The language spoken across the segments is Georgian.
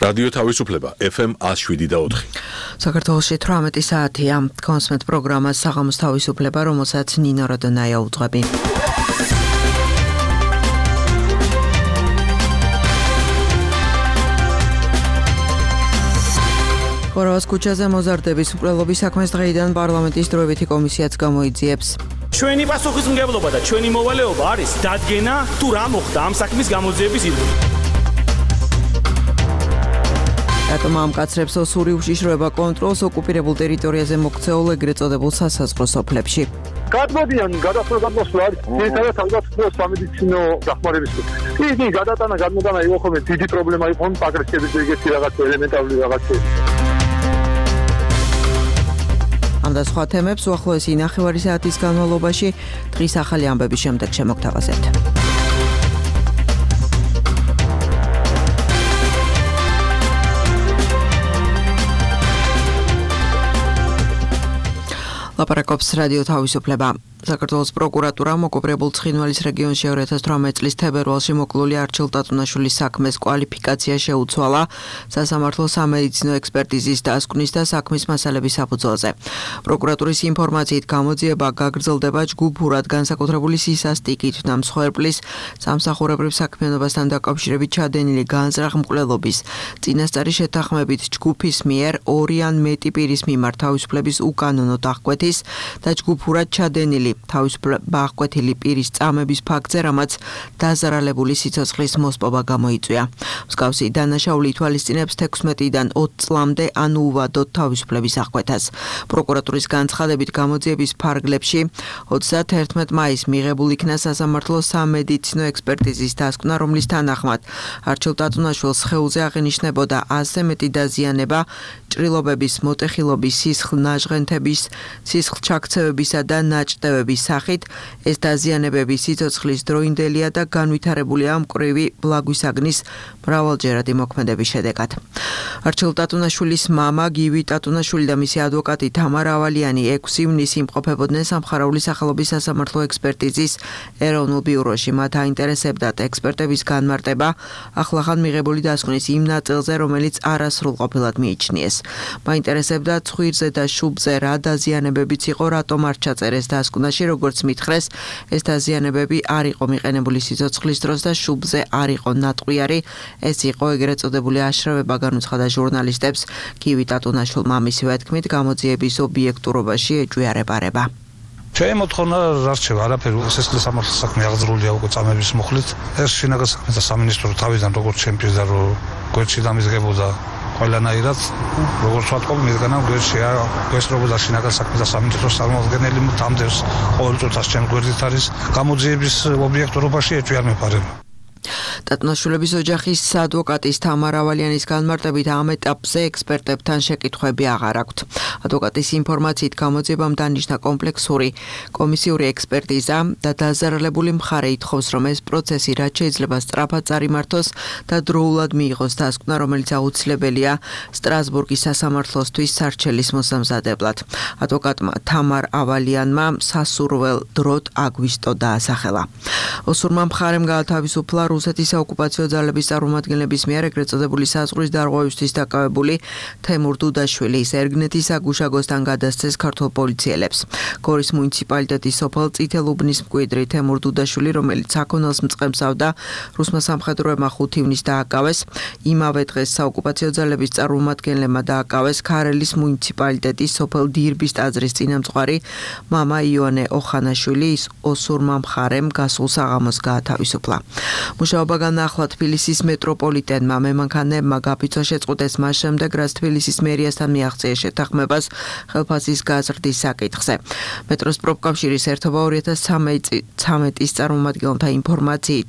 რადიო თავისუფლება FM 107.4. საქართველოში 18 საათია. კონსმეთ პროგრამა საღამოს თავისუფლება, რომელსაც ნინო როდონაია უძღვები. ხორავას ქუჩაზე მოზარდების მკვლელობის საქმეს დღეიდან პარლამენტის დროებითი კომისიაც გამოიძიებს. ჩვენი პასუხისმგებლობა და ჩვენი მოვალეობა არის დადგენა თუ რა მოხდა ამ საქმის გამოძიების ირგვლივ. რატომ ამკაცრებს ოსური უშიშროება კონტროლს ოკუპირებულ ტერიტორიაზე მოქცეულ ეგრეთ წოდებულ სასაზღვრო სოფლებში. გადმოდიან გადასვლადამოსვლა არის ერთადერთ თავდაცვის სამედიცინო დახმარების იგი გადატანა გადმოდანა იყო ხოლმე დიდი პრობლემა იყო პაგრესების ეგეთი რაღაც ელემენტარული რაღაცები. ამ და სხვა თემებს უახლოესი 9 საათის განმავლობაში დღის ახალი ამბების შემდეგ შემოგთავაზებთ. ლაპარაკობს რადიო თავისუფლება. საქართველოს პროკურატურა მოკოპრებულ ცხინვალის რეგიონში 2018 წლის თებერვალში მოკლული არჩილ ტატუნაშვილის საქმეს კვალიფიკაცია შეუცვალა სასამართლო სამედიცინო ექსპერტიზის დასკვნის და საქმის მასალების საფუძველზე. პროკურატურის ინფორმაციით გამოძიება გაგრძელდება ჯგუფურად განსაკუთრებული სისასტიკით და მსხვერპლის სამსახურებრივ საქმიანობასთან დაკავშირებით ჩადენილი განზრახ მკვლელობის წინასწარი შეთანხმებით ჯგუფის მიერ 2 ან მეტი პირის მიმართ თავისუფლების უკანონო დახკვეთის და ჯგუფურად ჩადენილი თავისუფლება აღკვეთილი პირის წამების ფაქტზე, რამაც დაზარალებული სიცოცხლის მოსპობა გამოიწვია. მსგავსი დანაშაული ითვალისწინებს 16-დან 20 წლამდე ან უვადოდ თავისუფლების აღკვეთას. პროკურატურის განცხადებით გამოძიების ფარგლებში 31 მაისს მიღებულ იქნა სასამართლოს სამედიცინო ექსპერტიზის დასკვნა, რომლის თანახმად არჩილ ტატუნაშვილს სხეულზე აღინიშნებოდა 100-ზე მეტი დაზიანება ჭრილობების, მოტეხილობის, სისხლ-ნაჟღენთების, სისხლჩაქცევებისა და ნაჭდევების სახით. ეს დაზიანებები სიცოცხლის დროინდელია და განვითარებულია მკვრივი ბლაგვისაგნის მრავალჯერადი მოქმედების შედეგად. არჩილ ტატუნაშვილის მამა გივი ტატუნაშვილი და მისი ადვოკატი თამარ ავალიანი 6 ივნისს იმყოფებოდნენ სამხარაული სახელობის სასამართლო ექსპერტიზის ეროვნულ ბიუროში. მათ აინტერესებდათ ექსპერტების განმარტება ახლახან მიღებული დასკვნის იმ ნაწილზე, რომელიც არასრულყოფილად მიიჩნიეს. მაინტერესებდა ცხვირზე და შუბზე რა დაზიანებებიც იყო, რატომ არ ჩაწერეს დასკვნაში, როგორც მითხრეს, ეს დაზიანებები არ იყო მიყენებული სიცოცხლის დროს და შუბზე არ იყო ნატყვიარი. ეს იყო ეგრეთ წოდებული აშრავება, განუცხადა ჟურნალისტებს გივი ტატუნაშვილმა. მისივე თქმით, გამოძიების ობიექტურობაში ეჭვიარება. Ჩვენ მოთხოვნა არ რჩება არაფერი, სისხლის სამართლის საქმე აღძრულია უკვე წამების მუხლით. ეს შინაგან საქმეთა სამინისტრო თავიდან როგორც ჩემპიონი რო გვერდში დამიზღებოდა ყველანაირად, როგორც ვთქვი, მისგანა გვესწრებოდა შინაგან საქმეთა სამინისტროს წარმომადგენელი თამდევს ყოველ წუთას ჩემ გვერდით არის გამოძიების ობიექტურობაში ეჭვი არ მეპარება. ტატუნაშვილების ოჯახის ადვოკატის თამარ ავალიანის განმარტებით ამ ეტაპზე ექსპერტებთან შეკითხვები აღარ აქვთ. ადვოკატის ინფორმაციით გამოძიებამ დანიშნა კომპლექსური კომისიური ექსპერტიზა და დაზარალებული მხარე ითხოვს, რომ ეს პროცესი რაც შეიძლება სწრაფად წარიმართოს და დროულად მიიღოს დასკვნა, რომელიც აუცილებელია სტრასბურგის სასამართლოსთვის სარჩელის მოსამზადებლად. ადვოკატმა თამარ ავალიანმა სასურველ დროდ აგვისტო დაასახელა. ოსურმა მხარემ გაათავისუფლა რუსეთის საოკუპაციო ძალების წარმომადგენლების მიერ ეგრეთ წოდებული საზღვრის დარღვევისთვის დაკავებული თემურ დუდაშვილი ერგნეთის აგუშაგოსთან გადასცეს ქართულ პოლიციელებს. გორის მუნიციპალიტეტის სოფელ წითელუბნის მკვიდრი თემურ დუდაშვილი, რომელიც საქონელს მწყემსავდა, რუსმა სამხედროებმა 5 ივნისს დააკავეს. იმავე დღეს საოკუპაციო ძალების წარმომადგენლებმა დააკავეს ქარელის მუნიციპალიტეტის სოფელ დირბის ტაძრის წინამძღვარი მამა იონე ოხანაშვილი. ის ოსურმა მხარემ გასულ საღამოს გაათავისუფლა. მუშაობა განაახლა თბილისის მეტროპოლიტენმა. მემანქანეებმა გაფიცვა შეწყვეტეს მას შემდეგ, რაც თბილისის მერიასთან მიაღწიეს შეთანხმებას ხელფასის გაზრდის საკითხზე. მეტროს პროფკავშირის ერთობა 2013 წარმომადგენელთა ინფორმაციით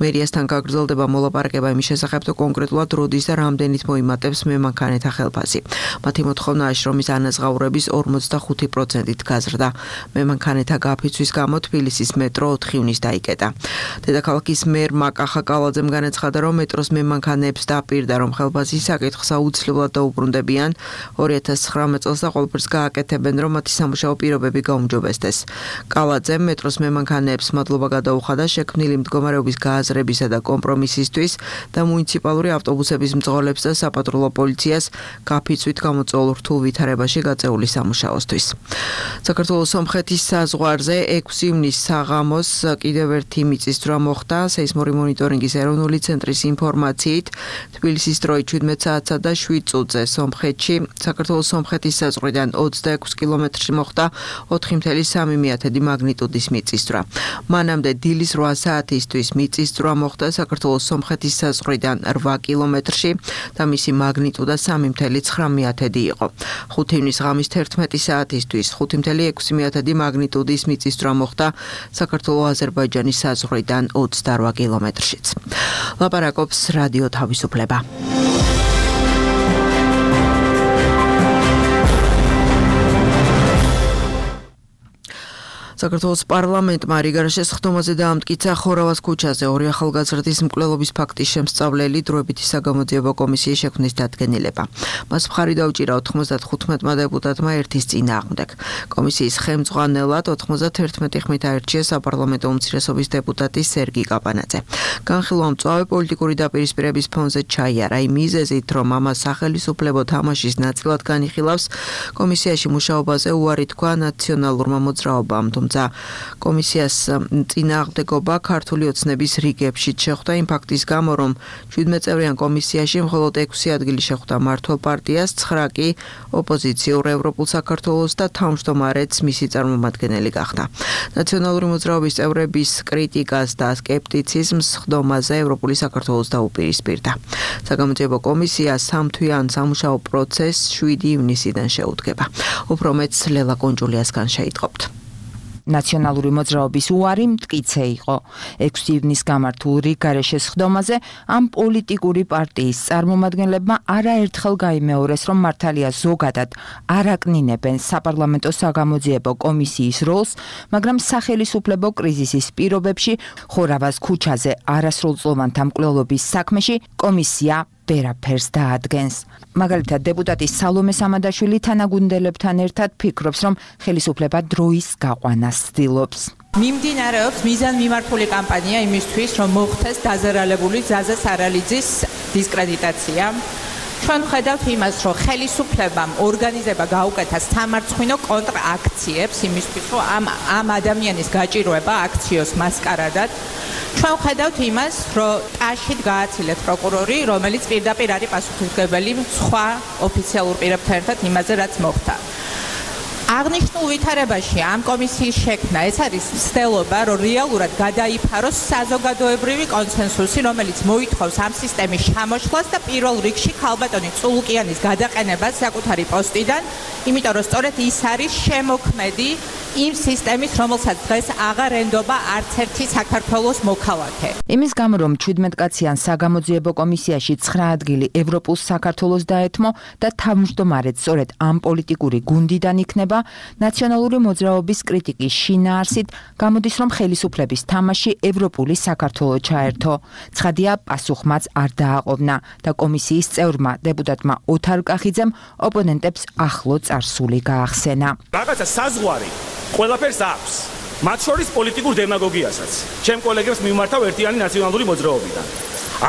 მერიასთან გაგრძელდება მოლაპარაკება იმის შესახებ, თუ კონკრეტულად როდის და რამდენით მოიმატებს მემანქანეთა ხელფასი. მათი მოთხოვნა შრომის ანაზღაურების 45%-ით გაზრდა. მემანქანეთა გაფიცვის გამო თბილისის მეტრო 4 ივნისს დაიკეტა. დედაქალაქის მერმა კახაკა კალაძემ განაცხადა, რომ მეტროს მემანქანეებს დაპირდა, რომ ხელფასის საკითხს აუცილებლად დაუბრუნდებიან 2019 წელს და ყველაფერს გააკეთებენ, რომ მათი სამუშაო პირობები გაუმჯობესდეს. კალაძემ მეტროს მემანქანეებს მადლობა გადაუხადა შექმნილი მდგომარეობის გააზრებისა და კომპრომისისთვის და მუნიციპალური ავტობუსების მძღოლებს და საპატრულო პოლიციას გაფიცვით გამოწვეულ რთულ ვითარებაში გაწეული სამუშაოსთვის. საქართველოს სომხეთის საზღვარზე 6 ივნისს საღამოს კიდევ ერთი მიწისძვრა მოხდა. სეისმური მონიტორინგის ეროვნული ცენტრის ინფორმაციით თბილისის დროით 17 საათსა და 7 წუთზე სომხეთში საქართველოს სომხეთის საზღვრიდან 26 კილომეტრში მოხდა 4.3 მაგნიტუდის მიწისძვრა. მანამდე დილის 8 საათისთვის მიწისძვრა მოხდა საქართველოს სომხეთის საზღვრიდან 8 კილომეტრში და მისი მაგნიტუდა 3.9 იყო. 5 ივნის ღამის 11 საათისთვის 5.6 მაგნიტუდის მიწისძვრა მოხდა საქართველოს-აზერბაიჯანის საზღვრიდან 28 კილომეტრშიც. ლაპარაკობს რადიო თავისუფლება. საქართველოს პარლამენტმა რიგარაშე სხდომაზე დაამტკიცა ხორავას ქუჩაზე ორი ახალგაზრდის მკვლელობის ფაქტის შემსწავლელი დროებითი საგამოძიებო კომისიის შექმნის დადგენილება. მას მხარი დაუჭირა 95-მა დეპუტატმა ერთის წინააღმდეგ. კომისიის ხელმძღვანელად 91 ხმით აირჩია საპარლამენტო უმცირესობის დეპუტატი სერგი კაპანაძე. განხილვა მწვავე პოლიტიკური დაპირისპირების ფონზე ჩაიარა იმ მიზეზით, რომ ამას სახელმწიფო თამაშის ნაწილად განიხილავს კომისიაში მუშაობაზე უარი თქვა ნაციონალურმა მოძრაობამ. კომისიას წინააღმდეგობა ქართული ოცნების რიგებშიც შეხვდა იმ ფაქტის გამო, რომ 17 წევრიან კომისიაში მხოლოდ 6 ადგილი შეხვდა მართლ პარტიას, 9 კი ოპოზიციურ ევროპულ საქართველოს და თავმჯდომარეც მისი წარმომადგენელი გახდა. ნაციონალური მოძრაობის წევრების კრიტიკას და სკეპტიციზმს სხდომაზე ევროპული საქართველოს დაუპირისპირდა. საგამოძიებო კომისია 3 თვიან სამუშაო პროცესს 7 ივნისიდან შეუდგება. უფრო მეტს ლელა კონჯულიასგან შეიტყობთ. ნაციონალური მოძრაობის უარი მტკიცე იყო. 6 ივნის გამართულ რიგარეშე სხდომაზე ამ პოლიტიკური პარტიის წარმომადგენლებმა არაერთხელ გაიმეორეს, რომ მართალია ზოგადად არ აკნინებენ საპარლამენტო საგამოძიებო კომისიის როლს, მაგრამ სახელისუფლებო კრიზისის პირობებში ხორავას ქუჩაზე არასრულწლოვანთა მკვლელობის საქმეში კომისია ვერაფერს დაადგენს. მაგალითად, დეპუტატი სალომე სამადაშვილი თანაგუნდელებთან ერთად ფიქრობს, რომ ხელისუფლება დროის გაყვანას ცდილობს. მიმდინარეობს მიზანმიმართული კამპანია იმისთვის, რომ მოხდეს დაზარალებული ზაზა სარალიძის დისკრედიტაცია. ჩვენ ვხედავთ იმას, რომ ხელისუფლებამ ორგანიზება გაუკეთა სამარცხვინო კონტრაქციებს იმისთვის, რომ ამ ადამიანის გაჭირვება აქციოს მასკარადად. ჩვენ ვხედავთ იმას, რომ ტაშით გააცილეთ პროკურორი, რომელიც პირდაპირ არის პასუხისმგებელი სხვა ოფიციალურ პირებთან ერთად იმაზე, რაც მოხდა. აღნიშნულ ვითარებაში ამ კომისიის შექმნა ეს არის ცდელობა, რომ რეალურად გადაიფაროს საზოგადოებრივი კონსენსუსი, რომელიც მოითხოვს ამ სისტემის ჩამოშლას და პირველ რიგში ქალბატონი წულუკიანის გადაყენებას საკუთარი პოსტიდან, იმიტომ რომ სწორედ ის არის შემოქმედი იმ სისტემის, რომელსაც დღეს აღარ ენდობა არც ერთი საქართველოს მოქალაქე. იმის გამო, რომ 17 კაციან საგამოძიებო კომისიაში 9 ადგილი ევროპულ საქართველოს დაეთმო და თავმჯდომარედ სწორედ ამ პოლიტიკური გუნდიდან იქნება, ნაციონალური მოძრაობის კრიტიკის შინაარსით გამოდის, რომ ხელისუფლების თამაში ევროპული საქართველო ჩაერთო. ცხადია, პასუხმაც არ დააყოვნა და კომისიის წევრმა დეპუტატმა ოთარ კახიძემ ოპონენტებს ახლო წარსული გაახსენა. რაღაცა საზღვარი ყველაფერს აქვს. მათ შორის პოლიტიკურ დემაგოგიასაც. ჩემ კოლეგებს მიმართავ ერთიანი ნაციონალური მოძრაობიდან.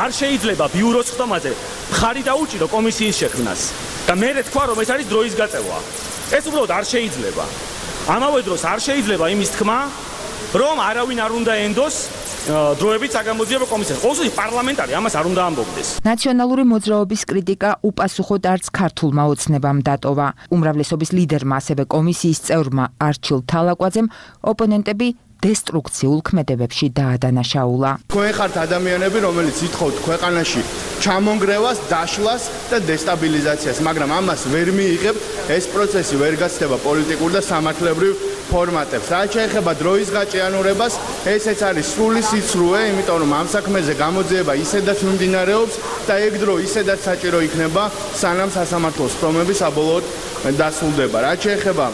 არ შეიძლება ბიუროს ხდომაზე მხარი დაუჭირო კომისიის შექმნას. და მე თქვა, რომ ეს არის დროის გაწევა. ეს უბრალოდ არ შეიძლება. ამავე დროს არ შეიძლება იმის თქმა, რომ არავინ არ უნდა ენდოს დროებით საგამოძიებო კომისიას. ყოველთვის პარლამენტარი ამას არ უნდა ამბობდეს. ნაციონალური მოძრაობის კრიტიკა უპასუხოდ არც ქართულმა ოცნებამ დატოვა. უმრავლესობის ლიდერმა, ასევე კომისიის წევრმა არჩილ თალაკვაძემ ოპონენტები დესტრუქციულ ქმედებებში დაადანაშაულა. თქვენ ხართ ადამიანები, რომელიც ითხოვთ ქვეყანაში ჩამონგრევას, დაშლას და დესტაბილიზაციას, მაგრამ ამას ვერ მიიღებთ. ეს პროცესი ვერ გაცდება პოლიტიკურ და სამართლებრივ ფორმატებს. რაც შეეხება დროის გაჭიანურებას, ესეც არის სრული სიცრუე, იმიტომ რომ ამ საქმეზე გამოძიება ისედაც მიმდინარეობს და ეგ დრო ისედაც საჭირო იქნება, სანამ სასამართლოს ფორმები საბოლოოდ დასრულდება. რაც შეეხება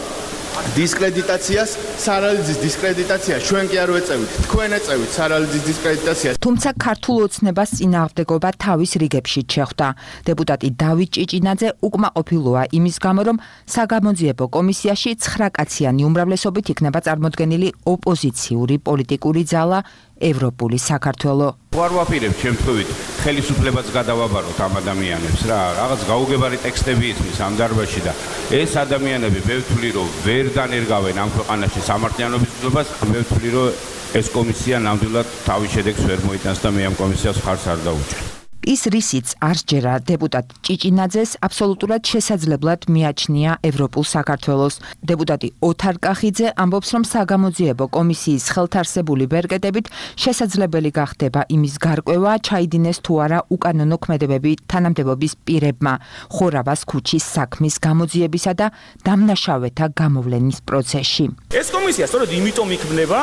დისკრედიტაციას, სარალიძის დისკრედიტაციას ჩვენ კი არ ვეწევით. თქვენ ეწევით სარალიძის დისკრედიტაციას. თუმცა ქართულ ოცნებას წინააღმდეგობა თავის რიგებში შეხვდა. დეპუტატი დავით ჭიჭინაძე უკმაყოფილოა იმის გამო, რომ საგამოძიებო კომისიაში 9 კაციანი უმრავლესობით იქნება წარმოდგენილი ოპოზიციური პოლიტიკური ძალა ევროპული საქართველო. ვარ ვაპირებ შემთხვევით ხელისუფლებას გადავაბაროთ ამ ადამიანებს რა, რაღაც გაუგებარი ტექსტები ისმის ამ დარბაზში და ეს ადამიანები მე ვთვლი რომ ვერ განერგავენ ამ ქვეყანაში სამართლიანობის ცნობას, მე ვთვლი რომ ეს კომისია ნამდვილად თავის შედეგს ვერ მოიტანს და მე ამ კომისიას ხარს არ დაუჭერ. ის რისიც არ სჯერა დეპუტატ ჭიჭინაძეს აბსოლუტურად შესაძლებლად მიაჩნია ევროპულ საქართველოს. დეპუტატი ოთარ კახიძე ამბობს, რომ საგამოძიებო კომისიის ხელთარსებული ბერკეტებით შესაძლებელი გახდება იმის გარკვევა, ჩაიდინეს თუ არა უკანონო ქმედებები თანამდებობის პირებმა ხორავას ქუჩის საქმის გამოძიებისა და დამნაშავეთა გამოვლენის პროცესში. ეს კომისია სწორედ იმიტომ იქმნება,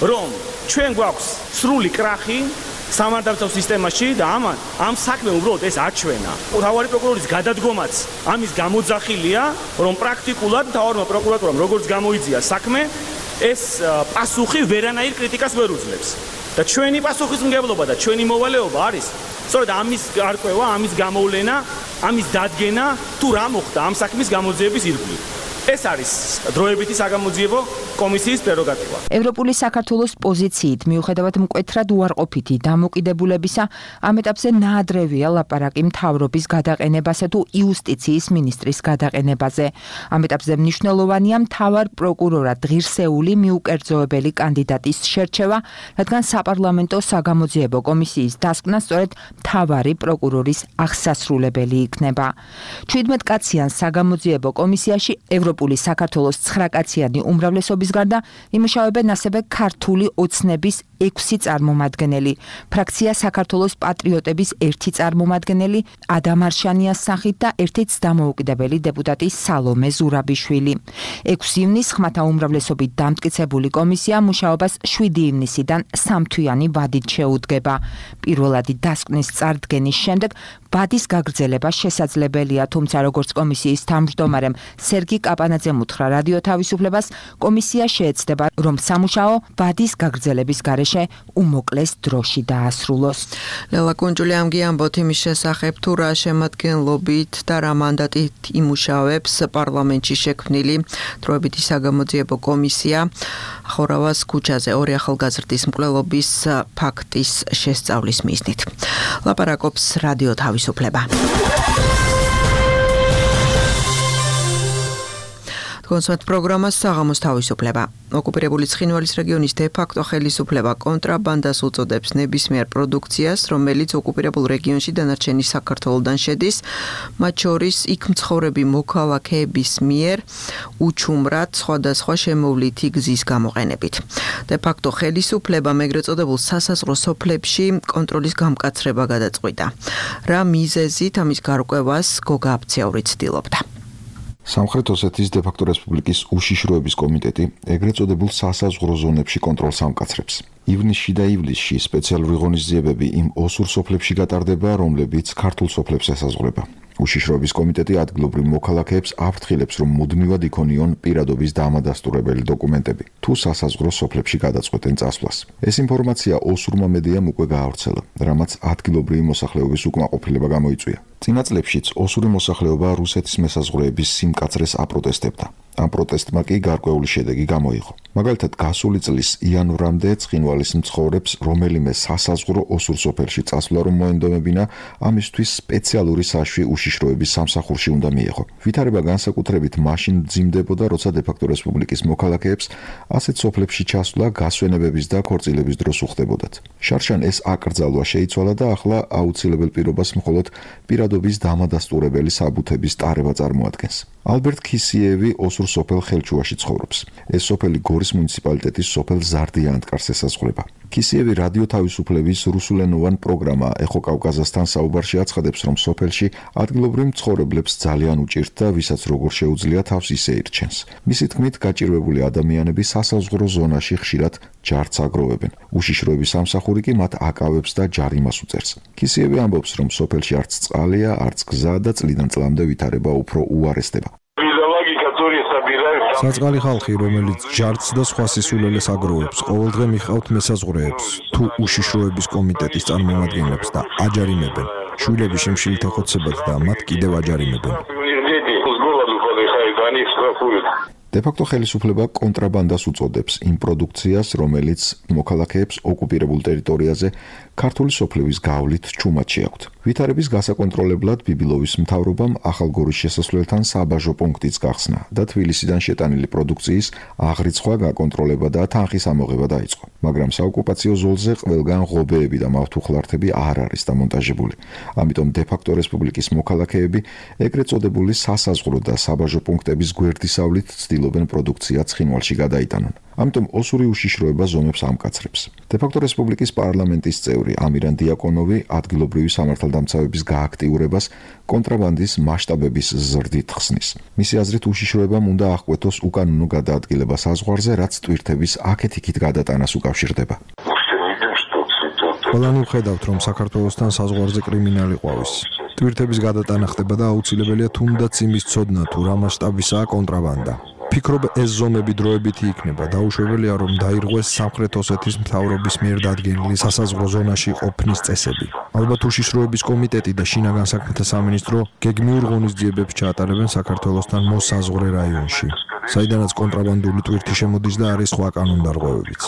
რომ ჩვენ გვაქვს სრული კრახი სამართალდამცავ სისტემაში და ამ საქმე უბრალოდ ეს აჩვენა. მთავარი პროკურორის გადადგომაც ამის გამოძახილია, რომ პრაქტიკულად მთავარმა პროკურატურამ როგორც გამოიძია საქმე, ეს პასუხი ვერანაირ კრიტიკას ვერ უძლებს. და ჩვენი პასუხისმგებლობა და ჩვენი მოვალეობა არის სწორედ ამის გარკვევა, ამის გამოვლენა, ამის დადგენა, თუ რა მოხდა ამ საქმის გამოძიების ირგვლივ. ეს არის დროებითი საგამოძიებო კომისიის პრეროგატივა. ევროპული საქართველოს პოზიციით მიუხედავად მკვეთრად უარყოფითი დამოკიდებულებისა, ამ ეტაპზე ნაადრევია ლაპარაკი მთავრობის გადაყენებასა თუ იუსტიციის მინისტრის გადაყენებაზე. ამ ეტაპზე მნიშვნელოვანია მთავარ პროკურორად ღირსეული მიუკერძოებელი კანდიდატის შერჩევა, რადგან საპარლამენტო საგამოძიებო კომისიის დასკვნა სწორედ მთავარი პროკურორის აღსასრულებელი იქნება. 17 კაციან საგამოძიებო კომისიაში ევროპული საქართველოს 9 კაციანი უმრავლესობის გარდა იმუშავებენ ასევე ქართული ოცნების 6 წარმომადგენელი, ფრაქცია საქართველოს პატრიოტების 1 წარმომადგენელი ადამ არშანიას სახით და 1 დამოუკიდებელი დეპუტატი სალომე ზურაბიშვილი. 6 ივნისს ხმათა უმრავლესობით დამტკიცებული კომისია მუშაობას 7 ივნისიდან 3 თვიანი ვადით შეუდგება. პირველადი დასკვნის წარდგენის შემდეგ ვადის გაგრძელება შესაძლებელია, თუმცა როგორც კომისიის თავმჯდომარემ სერგი კაპანაძემ უთხრა რადიო თავისუფლებას, კომისია შეეცდება, რომ სამუშაო ვადის გაგრძელების გარეშე უმოკლეს დროში დაასრულოს. ლელა კუნჯული ამბობთ იმის შესახებ, თუ რა შემადგენლობით და რა მანდატით იმუშავებს პარლამენტში შექმნილი დროებითი საგამოძიებო კომისია ხორავას ქუჩაზე 2 ახალგაზრდის მკვლელობის ფაქტის შესწავლის მიზნით. ლაპარაკობს რადიო თავისუფლება. კონსერტ პროგრამას საღამოს თავისუფლება. ოკუპირებული ცხინვალის რეგიონის დე-ფაქტო ხელისუფლება კონტრაბანდას უწოდებს ნებისმიერ პროდუქციას, რომელიც ოკუპირებულ რეგიონში დანარჩენი საქართველოდან შედის, მათ შორის იქ მცხოვრები მოქალაქეების მიერ უჩუმრად სხვადასხვა შემოვლითი გზის გამოყენებით. დე-ფაქტო ხელისუფლებამ ეგრეთ წოდებულ სასაზღვრო სოფლებში კონტროლის გამკაცრება გადაწყვიტა. რა მიზეზით ამის გარკვევას გოგა აფციური ცდილობდა. სამხრეთ ოსეთის დე-ფაქტო რესპუბლიკის უშიშროების კომიტეტი ეგრეთ წოდებულ სასაზღვრო ზონებში კონტროლს ამკაცრებს. ივნისში და ივლისში სპეციალური ღონისძიებები იმ ოსურ სოფლებში გატარდება, რომლებიც ქართულ სოფლებს ესაზღვრება. უშიშროების კომიტეტი ადგილობრივ მოქალაქეებს აფრთხილებს, რომ მუდმივად იქონიონ პირადობის დამადასტურებელი დოკუმენტები, თუ სასაზღვრო სოფლებში გადაწყვეტენ წასვლას. ეს ინფორმაცია ოსურმა მედიამ უკვე გაავრცელა, რამაც ადგილობრივი მოსახლეობის უკმაყოფილება გამოიწვია. წინა წლებშიც ოსური მოსახლეობა რუსეთის მესაზღვრეების სიმკაცრეს აპროტესტებდა. ამ პროტესტმა კი გარკვეული შედეგი გამოიღო. მაგალითად, გასული წლის იანვრამდე ცხინვალის მცხოვრებს რომელიმე სასაზღვრო ოსურ სოფელში წასვლა რომ მოენდომებინა, ამისთვის სპეციალური საშვი უშიშროების სამსახურში უნდა მიეღო. ვითარება განსაკუთრებით მაშინ მძიმდებოდა, როცა დე-ფაქტო რესპუბლიკის მოქალაქეებს ასეთ სოფლებში ჩასვლა გასვენებების და ქორწილების დროს უხდებოდათ. შარშან ეს აკრძალვა შეიცვალა და ახლა აუცილებელ პირობას მხოლოდ პირადობის დამადასტურებელი საბუთების ტარება წარმოადგენს. ალბერტ ქისიევი ოსურ სოფელ ხელჩუაში ცხოვრობს. ეს სოფელი გორის მუნიციპალიტეტის სოფელ ზარდიანტკარს ესაზღვრება. ქისიევი რადიო თავისუფლების რუსულენოვან პროგრამა ეხო კავკაზასთან საუბარში აცხადებს, რომ სოფელში ადგილობრივ მცხოვრებლებს ძალიან უჭირთ და ვისაც როგორ შეუძლია თავს ისე ირჩენს. მისი თქმით, გაჭირვებული ადამიანები სასაზღვრო ზონაში ხშირად ჯარც აგროვებენ. უშიშროების სამსახური კი მათ აკავებს და ჯარიმას უწევს. ქისიევი ამბობს, რომ სოფელში არც წყალია, არც გზა და წლიდან წლამდე ვითარება უფრო უარესდება. Логика туриста собирают საწყალი ხალხი, რომელიც ჯარც და სხვა სისულელეს აგროვებს, ყოველდღე მიყავთ მესაზღვრეებს, თუ უშიშროების კომიტეტის წარმომადგენლებს და აჯარიმებენ. შვილები შიმშილით ეხოცებათ და მათ კიდევ აჯარიმებენ. დე-ფაქტო ხელისუფლება კონტრაბანდას უწოდებს იმ პროდუქციას, რომელიც მოქალაქეებს ოკუპირებულ ტერიტორიაზე ქართული სოფლების გავლით ჩუმად შეაქვთ. ვითარების გასაკონტროლებლად ბიბილოვის მთავრობამ ახალგორის შესასვლელთან საბაჟო პუნქტიც გახსნა და თბილისიდან შეტანილი პროდუქციის აღრიცხვა, გაკონტროლება და თანხის ამოღება დაიწყო. მაგრამ საოკუპაციო ზოლზე ყველგან ღობეები და მავთუხლართები არ არის დამონტაჟებული. ამიტომ დე-ფაქტო რესპუბლიკის მოქალაქეები ეგრეთ წოდებული სასაზღვრო და საბაჟო პუნქტების გვერდისავლით ცდილობენ პროდუქცია ცხინვალში გადაიტანონ. ამიტომ ოსური უშიშროება ზომებს ამკაცრებს. დე-ფაქტო რესპუბლიკის პარლამენტის წევრი ამირან დიაკონოვი ადგილობრივი სამართალდამცავების გააქტიურებას კონტრაბანდის მასშტაბების ზრდით ხსნის. მისი აზრით უშიშროებამ უნდა აღკვეთოს უკანონო გადაადგილება საზღვარზე, რაც ტვირთების აქეთ-იქით გადატანას უკავშირდება. ყველანი ვხედავთ, რომ საქართველოსთან საზღვარზე კრიმინალი ყვავის. ტვირთების გადატანა ხდება და აუცილებელია თუნდაც იმის ცოდნა, თუ რა მასშტაბისაა კონტრაბანდა. ფიქრობ ეს ზომები დროებითი იქნება. დაუშვებელია, რომ დაირღვეს სამხრეთ ოსეთის მთავრობის მიერ დადგენილი სასაზღვრო ზონაში ყოფნის წესები. ალბათ უშიშროების კომიტეტი და შინაგან საქმეთა სამინისტრო გეგმიურ ღონისძიებებს ჩაატარებენ საქართველოსთან მოსაზღვრე რაიონში, საიდანაც კონტრაბანდული ტვირთი შემოდის და არის სხვა კანონდარღვევებიც.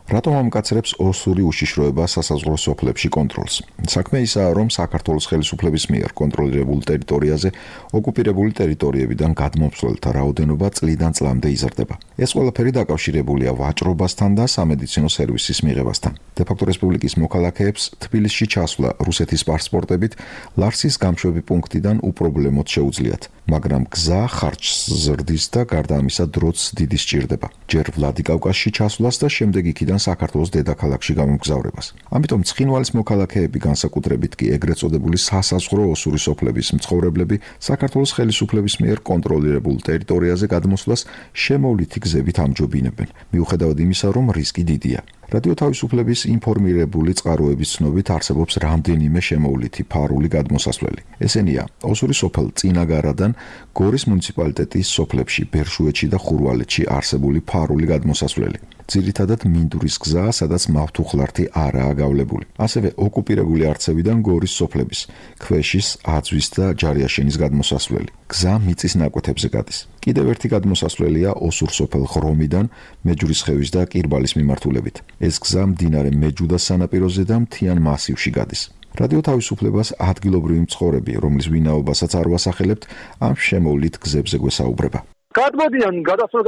რატომ ამკაცრებს ოსური უშიშროება სასაზღვრო სოფლებში კონტროლს? საქმე ისაა, რომ საქართველოს ხელისუფლების მიერ კონტროლირებულ ტერიტორიაზე ოკუპირებული ტერიტორიებიდან გადმომცველთა რაოდენობა წლიდან წლამდე იზრდება. ეს ყველაფერი დაკავშირებულია ვაჭრობასთან და სამედიცინო სერვისის მიღებასთან. დე-ფაქტო რესპუბლიკის მოქალაქეებს თბილისში ჩასვლა რუსეთის პასპორტებით ლარსის გამშვები პუნქტიდან უპრობლემოდ შეუძლიათ, მაგრამ გზა ხარჯს ზრდის და გარდა ამისა დროც დიდი სჭირდება. ჯერ ვლადიკავკაზში ჩასვლას და შემდეგ იქიდან საქართველოს დედაქალაქში გამოგზავრებას. ამიტომ ცხინვალის მოქალაქეები, განსაკუთრებით კი ეგრეთ წოდებული სასაზღვრო ოსური სოფლების მცხოვრებლები, საქართველოს ხელისუფლების მიერ კონტროლირებულ ტერიტორიაზე გადმოსვლას შემოვლითი გზებით ამჯობინებენ, მიუხედავად იმისა, რომ რისკი დიდია. რადიო თავისუფლების ინფორმირებული წყაროების ცნობით არსებობს რამდენიმე შემოვლითი ფარული გადმოსასვლელი. ესენია: ოსური სოფელ წინაგარადან გორის მუნიციპალიტეტის სოფლებში, ბერშუეთში და ხურვალეთში არსებული ფარული გადმოსასვლელი. ძირითადად მინდურის გზა, სადაც მავთუხლართი არაა გავლებული. ასევე ოკუპირებული არცევიდან გორის სოფლების, ქვეშის, აძვის და ჯარიაშენის გადმოსასვლელი. გზა მიწის ნაკვეთებზე გადის. კიდევ ერთი გადმოსასვლელია ოსურ სოფელ ღრომიდან, მეჯვრისხევის და კირბალის მიმართულებით. ეს გზა მდინარე მეჯუდას სანაპიროზე და მთიან მასივში გადის. რადიო თავისუფლებას ადგილობრივი მცხოვრები, რომლის ვინაობასაც არ ვასახელებთ, ამ შემოვლით გზებზე გვესაუბრება. გადმოდიან, გადასვლა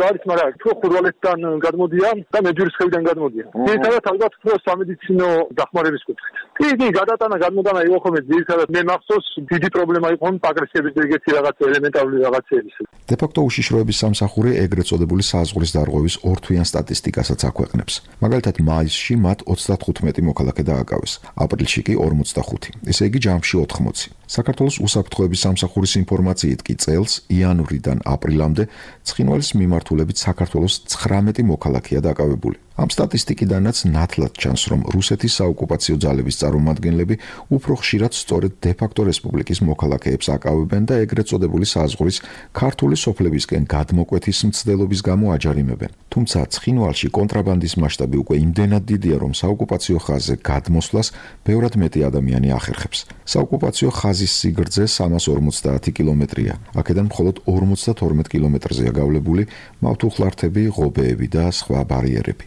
არის, მაგრამ თუ ხურვალეთიდან გადმოდიან და მეჯვრისხევიდან გადმოდიან. ერთადაც ალბათ თუ სამედიცინო დახმარების კუთხით. კი, გადატანა, გადმოდანა იყო ხოლმე ძირითადად მე მახსოვს დიდი პრობლემა იყო პაგრესების ეგეთი რაღაც ელემენტარული რაღაცების. დე-ფაქტო უშიშროების სამსახური ეგრეთ წოდებული საზღვრის დარღვევის ორთვიან სტატისტიკასაც აქვეყნებს. მაგალითად, მაისში მათ 35 მოქალაქე დააკავეს, აპრილში კი 45, ესე იგი ჯამში 80. საქართველოს უსაფრთხოების სამსახურის ინფორმაციით კი წელს იანვრიდან აპრილამდე ცხინვალის მიმართულებით საქართველოს 19 მოქალაქეა დაკავებული. ამ სტატისტიკიდანაც ნათლად ჩანს, რომ რუსეთის საოკუპაციო ძალების წარმომადგენლები უფრო ხშირად სწორედ დე-ფაქტო რესპუბლიკის მოქალაქეებს აკავებენ და ეგრეთ წოდებული საზღვრის ქართული სოფლებისკენ გადმოკვეთის მცდელობის გამო აჯარიმებენ. თუმცა ცხინვალში კონტრაბანდის მასშტაბი უკვე იმდენად დიდია, რომ საოკუპაციო ხაზზე გადმოსვლას ბევრად მეტი ადამიანი ახერხებს. საოკუპაციო ხაზის სიგრძე 350 კილომეტრია. აქედან მხოლოდ 52 კილომეტრზეა გავლებული მავთუხლართები, ღობეები და სხვა ბარიერები.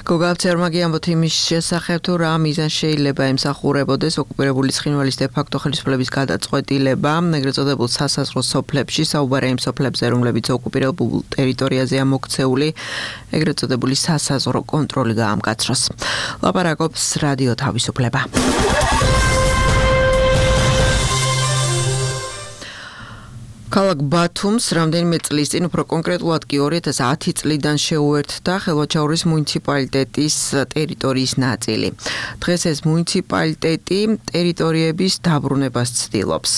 გოგავცერმაგი ამბობთ იმის შესახებ, თუ რა მიზანი შეიძლება ემსახურებოდეს ოკუპირებული ცხინვალის დე-ფაქტო ხელისუფლების გადაწყვეტილება ეგრეთ წოდებულ სასაზღვრო სოფლებში, საუბარია იმ სოფლებზე, რომლებიც ოკუპირებულ ტერიტორიაზეა მოქცეული, ეგრეთ წოდებული სასაზღვრო კონტროლი გაამკაცროს. ლაპარაკობს რადიო თავისუფლება. ქალაქ ბათუმს რამდენიმე წლის წინ, უფრო კონკრეტულად კი 2010 წლიდან შეუერთდა ხელვაჩაურის მუნიციპალიტეტის ტერიტორიის ნაწილი. დღეს ეს მუნიციპალიტეტი ტერიტორიების დაბრუნებას ცდილობს.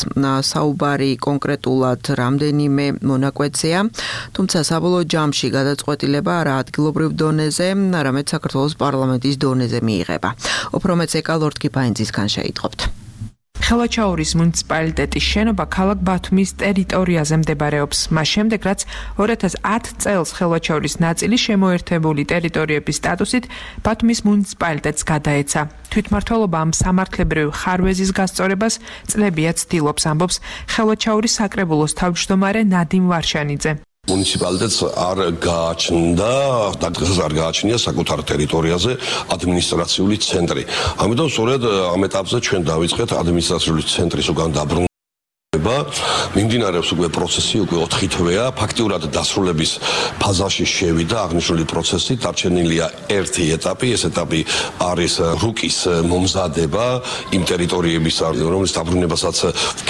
საუბარი კონკრეტულად რამდენიმე მონაკვეთზეა, თუმცა საბოლოო ჯამში გადაწყვეტილება არა ადგილობრივ დონეზე, არამედ საქართველოს პარლამენტის დონეზე მიიღება. უფრო მეც ეკალორდ კიფაინძისგან შეიტყობთ. ხელვაჩაურის მუნიციპალიტეტის შენობა ქალაქ ბათუმის ტერიტორიაზე მდებარეობს. მას შემდეგ, რაც 2010 წელს ხელვაჩაურის ნაწილი შემოერთებული ტერიტორიების სტატუსით ბათუმის მუნიციპალიტეტს გადაეცა. თვითმმართველობა ამ სამართლებრივ ხარვეზის გასწორებას წლებია ცდილობს, ამბობს ხელვაჩაურის საკრებულოს თავმჯდომარე ნადიმ ვარშანიძე. მუნიციპალიტეტს არ გააჩნდა და დღეს არ გააჩნია საკუთარ ტერიტორიაზე ადმინისტრაციული ცენტრი. ამიტომ სწორედ ამ ეტაპზე ჩვენ დავიწყეთ ადმინისტრაციული ცენტრის უკან დაბრუნება. მიმდინარეობს უკვე პროცესი, უკვე 4 თვეა, ფაქტიურად დასრულების ფაზაში შევიდა აღნიშნული პროცესი, დარჩენილია ერთი ეტაპი, ეს ეტაპი არის რუკის მომზადება იმ ტერიტორიების, რომელიც დაბრუნებასაც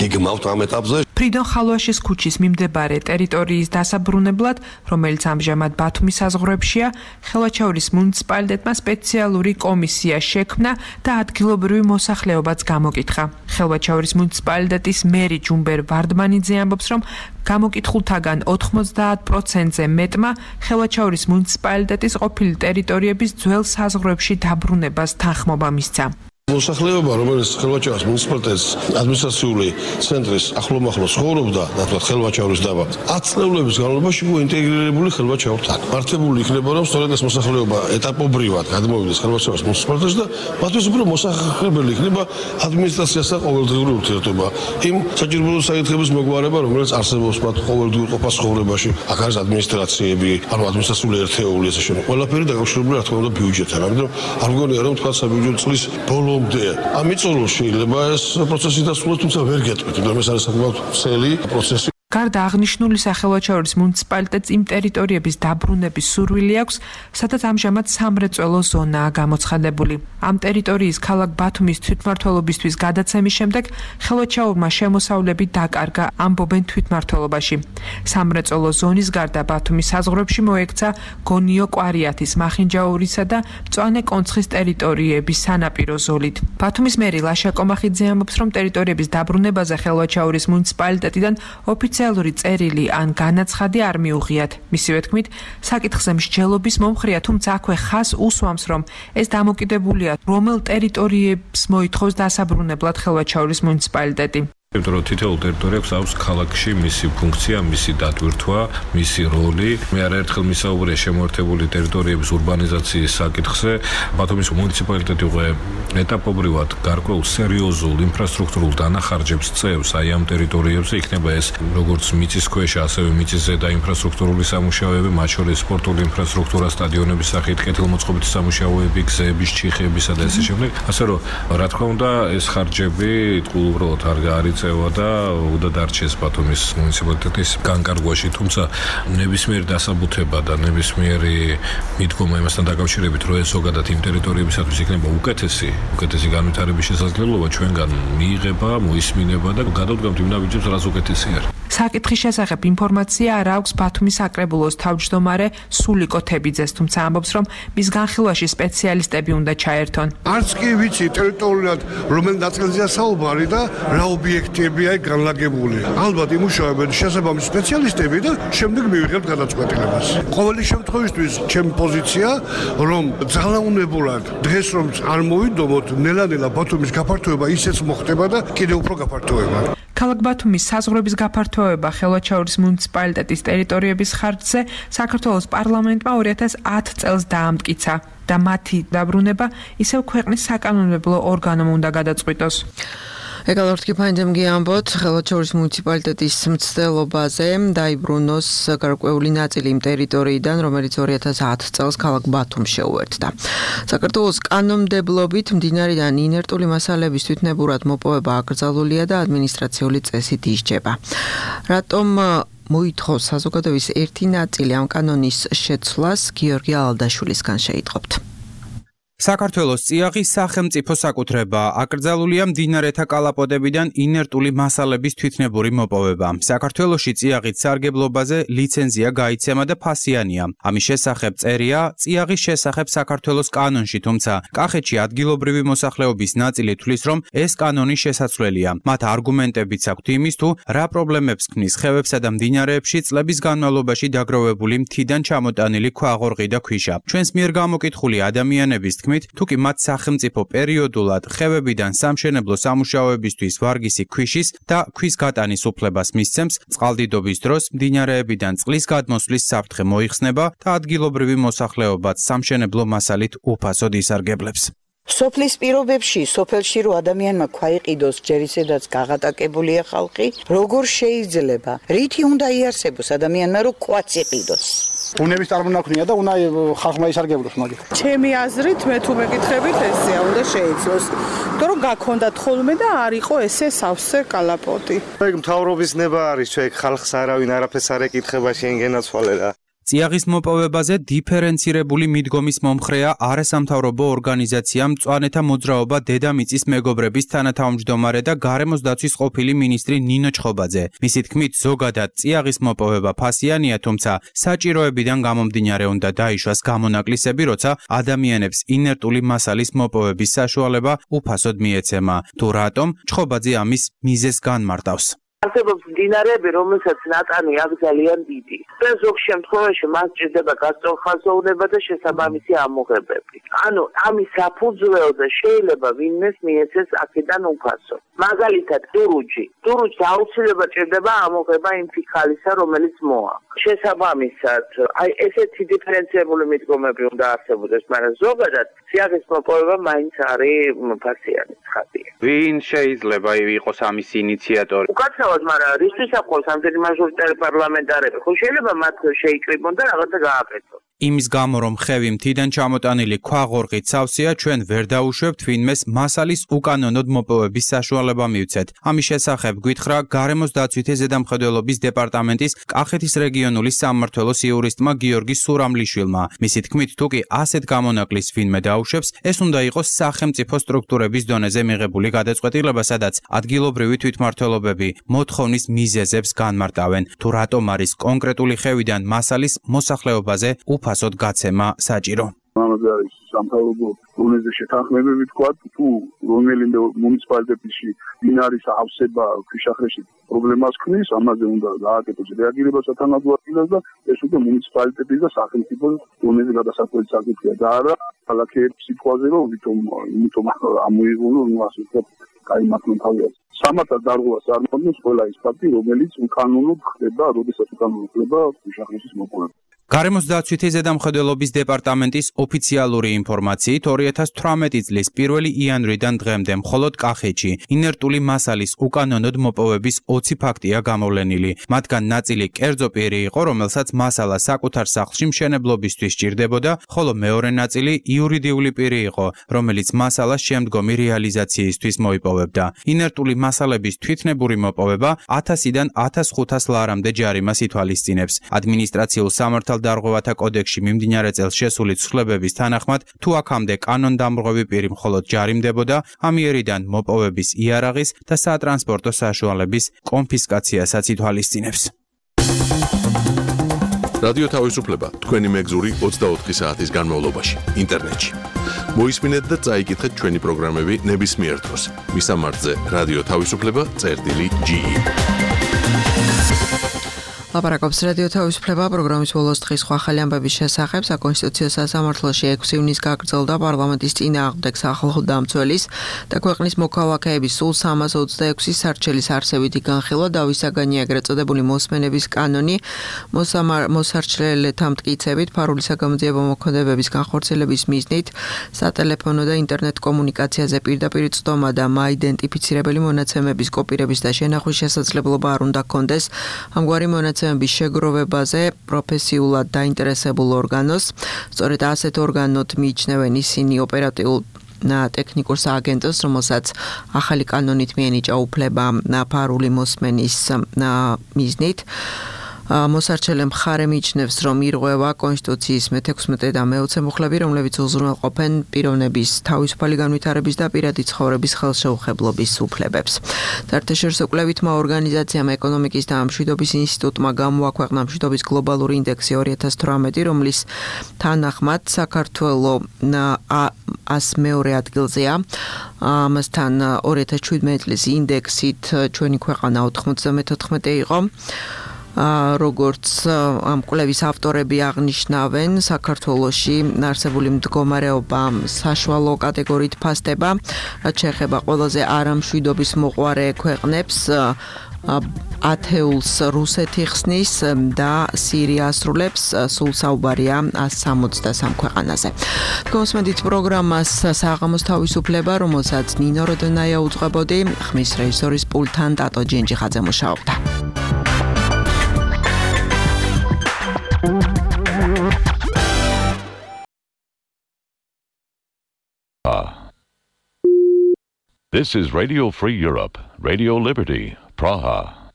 გეგმავთ ამ ეტაპზე. ფრიდონ ხალვაშის ქუჩის მიმდებარე ტერიტორიის დასაბრუნებლად, რომელიც ამჟამად ბათუმის საზღვრებშია, ხელვაჩაურის მუნიციპალიტეტმა სპეციალური კომისია შექმნა და ადგილობრივი მოსახლეობაც გამოკითხა. ხელვაჩაურის მუნიციპალიტეტის მერი ჯუმბერ ვარდმანიძე ამბობს, რომ გამოკითხულთაგან 90%-ზე მეტმა ხელვაჩაურის მუნიციპალიტეტის ყოფილი ტერიტორიების ძველ საზღვრებში დაბრუნებას თანხმობა მისცა. მოსახლეობა, რომელიც ხელვაჩაურის მუნიციპალიტეტის ადმინისტრაციული ცენტრის ახლომახლოს ცხოვრობდა, ნათლად ხელვაჩაურის დაბა, 10 წლების განმავლობაში მოინტეგრირებული ხელვაჩაურთან. მართებული იქნება, რომ სწორედ ეს მოსახლეობა ეტაპობრივად გადმოვიდეს ხელვაჩაურის მუნიციპალიტეტში და მათთვის უფრო მოსახლებელი იქნება ადმინისტრაციასთან ყოველდღიური ურთიერთობა. იმ საჭიროებრივ საკითხების მოგვარება, რომელიც არსებობს მათ ყოველდღიურ ყოფას ცხოვრებაში, აქ არის ადმინისტრაციები, ანუ ადმინისტრაციული ერთეული ესე შემდეგ. ყველაფერი დაკავშირებული რა თქმა უნდა ბიუჯეტთან. ამიტომ არ მგონია რომ თქვა საბიუჯეტო წლის ბოლომდე ამიწოლო შეიძლება ეს პროცესი დასრულდეს, თუმცა ვერ გეტყვით, რომ ეს არის საკმაოდ ვრცელი პროცესი. გარდა აღნიშნული სახელმწიფოს მუნიციპალიტეტს იმ ტერიტორიების დაბრუნების სურვილი აქვს, სადაც ამჟამად სამრეწველო ზონაა გამოცხადებული. ამ ტერიტორიის ქალაქ ბათუმის თვითმმართველობისთვის გადაცემის შემდეგ ხელვაჩაურმა შემოსავლები დაკარგა, ამბობენ თვითმმართველობაში. სამრეწველო ზონის გარდა ბათუმის საზღვრებში მოექცა გონიო კვარიათის, მახინჯაურისა და მწვანე კონცხის ტერიტორიების სანაპირო ზოლით. ბათუმის მერი ლაშა კომახიძე ამბობს, რომ ტერიტორიების დაბრუნებაზე ხელვაჩაურის მუნიციპალიტეტიდან ოფიციალური წერილი ან განაცხადი არ მიუღიათ. მისივე თქმით, საკითხზე მსჯელობის მომხრეა, თუმცა აქვე ხას უსვამს, რომ ეს დამოკიდებულია რომელ ტერიტორიებს მოითხოვს დასაბრუნებლად ხელვაჩაურის მუნიციპალიტეტი. იმიტომ რომ თითოეულ ტერიტორიას აქვს ქალაქში მისი ფუნქცია, მისი დატვირთვა, მისი როლი. მე არაერთხელ მისაუბრე შემოერთებული ტერიტორიების ურბანიზაციის საკითხზე. ბათუმის მუნიციპალიტეტი უკვე ეტაპობრივად გარკვეულ სერიოზულ ინფრასტრუქტურულ დანახარჯებს წევს აი ამ ტერიტორიებზე. იქნება ეს როგორც მიწისქვეშა, ასევე მიწისზედა ინფრასტრუქტურული სამუშაოები, მათ შორის სპორტული ინფრასტრუქტურა, სტადიონების სახით, კეთილმოწყობითი სამუშაოები, გზების, ჩიხეებისა და ასე შემდეგ. ასე რომ რა თქმა უნდა, ეს ხარჯები უბრალოდ არ არის და უნდა დარჩეს ბათუმის მუნიციპალიტეტის განკარგვაში, თუმცა ნებისმიერი დასაბუთება და ნებისმიერი მიდგომა იმასთან დაკავშირებით, რომ ეს ზოგადად იმ ტერიტორიებისათვის იქნება უკეთესი განვითარების შესაძლებლობა ჩვენგან მიიღება, მოისმინება და გადავდგამთ იმ ნაბიჯებს, რაც უკეთესი არის. საკითხის შესახებ ინფორმაცია არ აქვს ბათუმის საკრებულოს თავმჯდომარე სულიკო თებიძეს, თუმცა ამბობს, რომ მის განხილვაში სპეციალისტები უნდა ჩაერთონ. არც კი ვიცი ტერიტორიულად რომელ ნაწილზეა საუბარი და რა ობიექტებია განლაგებული. ალბათ იმუშავებენ შესაბამისი სპეციალისტები და შემდეგ მივიღებთ გადაწყვეტილებას. ყოველი შემთხვევისთვის ჩემი პოზიცია, რომ ძალაუნებურად დღეს რომ არ მოვიდომოთ, ნელა-ნელა ბათუმის გაფართოება ისეც მოხდება და კიდევ უფრო გაფართოება. ქალაქ ბათუმის საზღვრების გაფართოება ხელვაჩაურის მუნიციპალიტეტის ტერიტორიების ხარჯზე საქართველოს პარლამენტმა 2010 წელს დაამტკიცა და მათი დაბრუნება ისევ ქვეყნის საკანონმდებლო ორგანომ უნდა გადაწყვიტოს. ეკალორტკი ფაინდემგი ამბობთ, ხელვაჩაურის მუნიციპალიტეტის მცდელობაზე დაიბრუნოს გარკვეული ნაწილი იმ ტერიტორიიდან, რომელიც 2010 წელს ქალაქ ბათუმს შეუერთდა. საქართველოს კანონმდებლობით მდინარიდან ინერტული მასალების თვითნებურად მოპოვება აკრძალულია და ადმინისტრაციული წესით ისჯება. რატომ მოითხოვს საზოგადოების ერთი ნაწილი ამ კანონის შეცვლას, გიორგი ალდაშვილისგან შეიტყობთ. საქართველოს წიაღის სახელმწიფო საკუთრება აკრძალულია მდინარეთა კალაპოტებიდან ინერტული მასალების თვითნებური მოპოვება. საქართველოში წიაღის სარგებლობაზე ლიცენზია გაიცემა და ფასიანია. ამის შესახებ წერია წიაღის შესახებ საქართველოს კანონში, თუმცა კახეთში ადგილობრივი მოსახლეობის ნაწილი თვლის, რომ ეს კანონი შესაძლებელია. მათ არგუმენტებიც აქვთ იმის თუ რა პრობლემებს ქმნის ხევებსა და მდინარეებში წლების განმავლობაში დაგროვებული მთიდან ჩამოტანილი ქვაღორღი და ქვიშა. ჩვენს მიერ გამოკითხული ადამიანების თქმით, თუკი მათ სახელმწიფო პერიოდულად ხევებიდან სამშენებლო სამუშაოებისთვის ვარგისი ქვიშის და ქვის გატანის უფლებას მისცემს, წყალდიდობის დროს მდინარეებიდან წყლის გადმოსვლის საფრთხე მოიხსნება და ადგილობრივი მოსახლეობაც სამშენებლო მასალით უფასოდ ისარგებლებს. სოფლის პირობებში, სოფელში რო ადამიანმა ქვაიყიდოს ჯერ ისედაც გაღატაკებულია ხალხი, როგორ შეიძლება? რითი უნდა იარსებოს ადამიანმა რო ქვაც იყიდოს? უნების წარმონაქმნია და უნდა ხალხმა ისარგებლოს მაგით. ჩემი აზრით, მე თუ მეკითხებით, ესეა, უნდა შეიცვლოს. იმიტომ რომ გაქონდათ ხოლმე და არ იყო ესე სავსე კალაპოტი. ეგ მთავრობის ნება არის, ჩვენ ხალხს არავინ არაფერს არ ეკითხება, შენ გენაცვალე რა. წიაღის მოპოვებაზე დიფერენცირებული მიდგომის მომხრეა არასამთავრობო ორგანიზაცია მწვანეთა მოძრაობა დედამიწის მეგობრების თანათავმჯდომარე და გარემოს დაცვის ყოფილი მინისტრი ნინო ჩხობაძე. მისი თქმით, ზოგადად წიაღის მოპოვება ფასიანია, თუმცა საჭიროებიდან გამომდინარე უნდა დაიშვას გამონაკლისები, როცა ადამიანებს ინერტული მასალის მოპოვების საშუალება უფასოდ მიეცემა. თუ რატომ, ჩხობაძე ამის მიზეზს განმარტავს. არსებობს მდინარეები, რომელსაც ნატანი აქვს ძალიან დიდი. და ზოგ შემთხვევაში მას ჭირდება გასწორხაზოვნება და შესაბამისი ამოღებები. ანუ ამის საფუძველზე შეიძლება ვინმეს მიეცეს აქედან უფასო. მაგალითად, დურუჯი. დურუჯს აუცილებლად ჭირდება ამოღება იმ ფიქალისა, რომელიც მოა. შესაბამისად, აი ესეთი დიფერენცირებული მიდგომები უნდა არსებობდეს, მაგრამ ზოგადად წიაღის მოპოვება მაინც არის ფასიანი ცხადია. ვინ შეიძლება იყოს ამის ინიციატორი? უკაცრავად, მაგრამ რისთვის ახლავს ამდენი მაჟორიტარი პარლამენტარები? ხო შეიძლება მათ შეიკრიბონ და რაღაცა გააკეთონ. იმის გამო, რომ ხევი მთიდან ჩამოტანილი ქვაღორღით სავსეა, ჩვენ ვერ დაუშვებთ ვინმეს მასალის უკანონოდ მოპოვების საშუალება მივცეთ. ამის შესახებ გვითხრა გარემოს დაცვითი ზედამხედველობის დეპარტამენტის კახეთის რეგიონული სამმართველოს იურისტმა გიორგი სურამლიშვილმა. მისი თქმით, თუკი ასეთ გამონაკლის ვინმე დაუშვებს, ეს უნდა იყოს სახელმწიფო სტრუქტურების დონეზე მიღებული გადაწყვეტილება, სადაც ადგილობრივი თვითმმართველობები მოთხოვნის მიზეზებს განმარტავენ. თუ რატომ არის კონკრეტული ხევიდან მასალის მოსახლეობაზე უფასოდ გაცემა საჭირო. ამაზე არის სამთავრობო დონეზე შეთანხმებები თქვა, თუ რომელიმე მუნიციპალიტეტში დინარის ავსება ქვიშახრეში პრობლემას ქმნის, ამაზე უნდა გააკეთოს რეაგირება სათანადო ადგილას და ეს უკვე მუნიციპალიტეტის და სახელმწიფო დონეზე გადასაკვეთი საკითხია და არა ქალაქების სიტყვაზე, რომ იმიტომ ამოიღო, რომ ასე ვთქვათ, გაიმართონ თავი. სამართალ დარღვევას წარმოადგენს ყველა ის ფაქტი, რომელიც უკანონოდ ხდება, როდესაც უკანონოდ ხდება ქვიშახრეშის მოპოვება. გარემოს დაცვითი ზედამხედველობის დეპარტამენტის ოფიციალური ინფორმაციით 2018 წლის 1 იანვრიდან დღემდე მხოლოდ კახეთში ინერტული მასალის უკანონოდ მოპოვების 20 ფაქტია გამოვლენილი. მათგან ნაწილი კერძო პირი იყო, რომელსაც მასალა საკუთარ სახლში მშენებლობისთვის სჭირდებოდა, ხოლო მეორე ნაწილი იურიდიული პირი იყო, რომელიც მასალას შემდგომი რეალიზაციისთვის მოიპოვებდა. ინერტული მასალების თვითნებური მოპოვება 1000-დან 1500 ლარამდე ჯარიმას ითვალისწინებს. ადმინისტრაციულ სამართალ დარღვევათა კოდექსში მიმდინარე წელს შესული ცვლილებების თანახმად, თუ აქამდე კანონდამრღვევი პირი მხოლოდ ჯარიმდებოდა, ამიერიდან მოპოვების იარაღის და სატრანსპორტო საშუალების კონფისკაციასაც ითვალისწინებს. რადიო თავისუფლება თქვენი მეგზური 24 საათის განმავლობაში ინტერნეტში. მოისმინეთ და წაიკითხეთ ჩვენი პროგრამები ნებისმიერ დროს. მისამართზე რადიო თავისუფლება.ge ლაპარაკობს რადიო თავისუფლება პროგრამის ბოლოს დღის სხვა ახალი ამბების შესახებ. საკონსტიტუციო სასამართლოში 6 ივნისს გაგრძელდა პარლამენტის წინააღმდეგ სახალხო დამცველის და ქვეყნის მოქალაქეების სულ 326 სარჩელის არსებითი განხილვა და ვისაგანია ეგრეთ წოდებული მოსმენების კანონი. მოსარჩელეთა მტკიცებით ფარული საგამოძიებო მოქმედებების განხორციელების მიზნით სატელეფონო და ინტერნეტ კომუნიკაციაზე პირდაპირ წვდომა და მაიდენტიფიცირებელი მონაცემების კოპირების და შენახვის შესაძლებლობა არ უნდა ჰქონდეს. ამგვარი მონაცემების შეგროვებაზე პროფესიულად დაინტერესებულ ორგანოს, სწორედ ასეთ ორგანოდ მიიჩნევენ ისინი ოპერატიულ ტექნიკურ სააგენტოს, რომელსაც ახალი კანონით მიენიჭა უფლება ფარული მოსმენის მიზნით. მოსარჩელე მხარე მიიჩნევს, რომ ირღვევა კონსტიტუციის მე-16 და მე-20 მუხლები, რომლებიც უზრუნველყოფენ პიროვნების თავისუფალი განვითარების და პირადი ცხოვრების ხელშეუხებლობის უფლებებს. საერთაშორისო კვლევითმა ორგანიზაციამ ეკონომიკის და მშვიდობის ინსტიტუტმა გამოაქვეყნა მშვიდობის გლობალური ინდექსი 2018, რომლის თანახმად საქართველო 102 ადგილზეა. ამასთან 2017 წლის ინდექსით ჩვენი ქვეყანა 94 იყო. როგორც ამ კვლევის ავტორები აღნიშნავენ, საქართველოში არსებული მდგომარეობა საშუალო კატეგორიით ფასდება, რაც შეეხება ყველაზე არამშვიდობის მოყვარე ქვეყნებს. ათეულს რუსეთი ხსნის და სირია ასრულებს, სულ საუბარია 163 ქვეყანაზე. გოსმედით პროგრამას საღამოს თავისუფლება, რომელსაც ნინო როდონაია უძღვებოდი, ხმის რეჟისორის პულტთან ტატო ჯინჯიხაძე მუშაობდა. This is Radio Free Europe, Radio Liberty, Praha.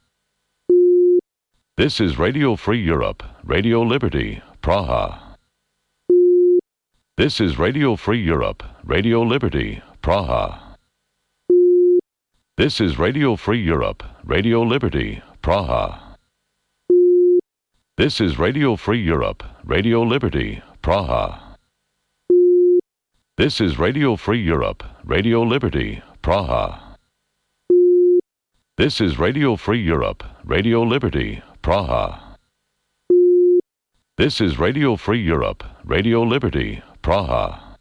This is Radio Free Europe, Radio Liberty, Praha. This is Radio Free Europe, Radio Liberty, Praha. This is Radio Free Europe, Radio Liberty, Praha. This is Radio Free Europe, Radio Liberty, Praha. This is Radio Free Europe, Radio Liberty, Praha. This is Radio Free Europe, Radio Liberty, Praha. This is Radio Free Europe, Radio Liberty, Praha.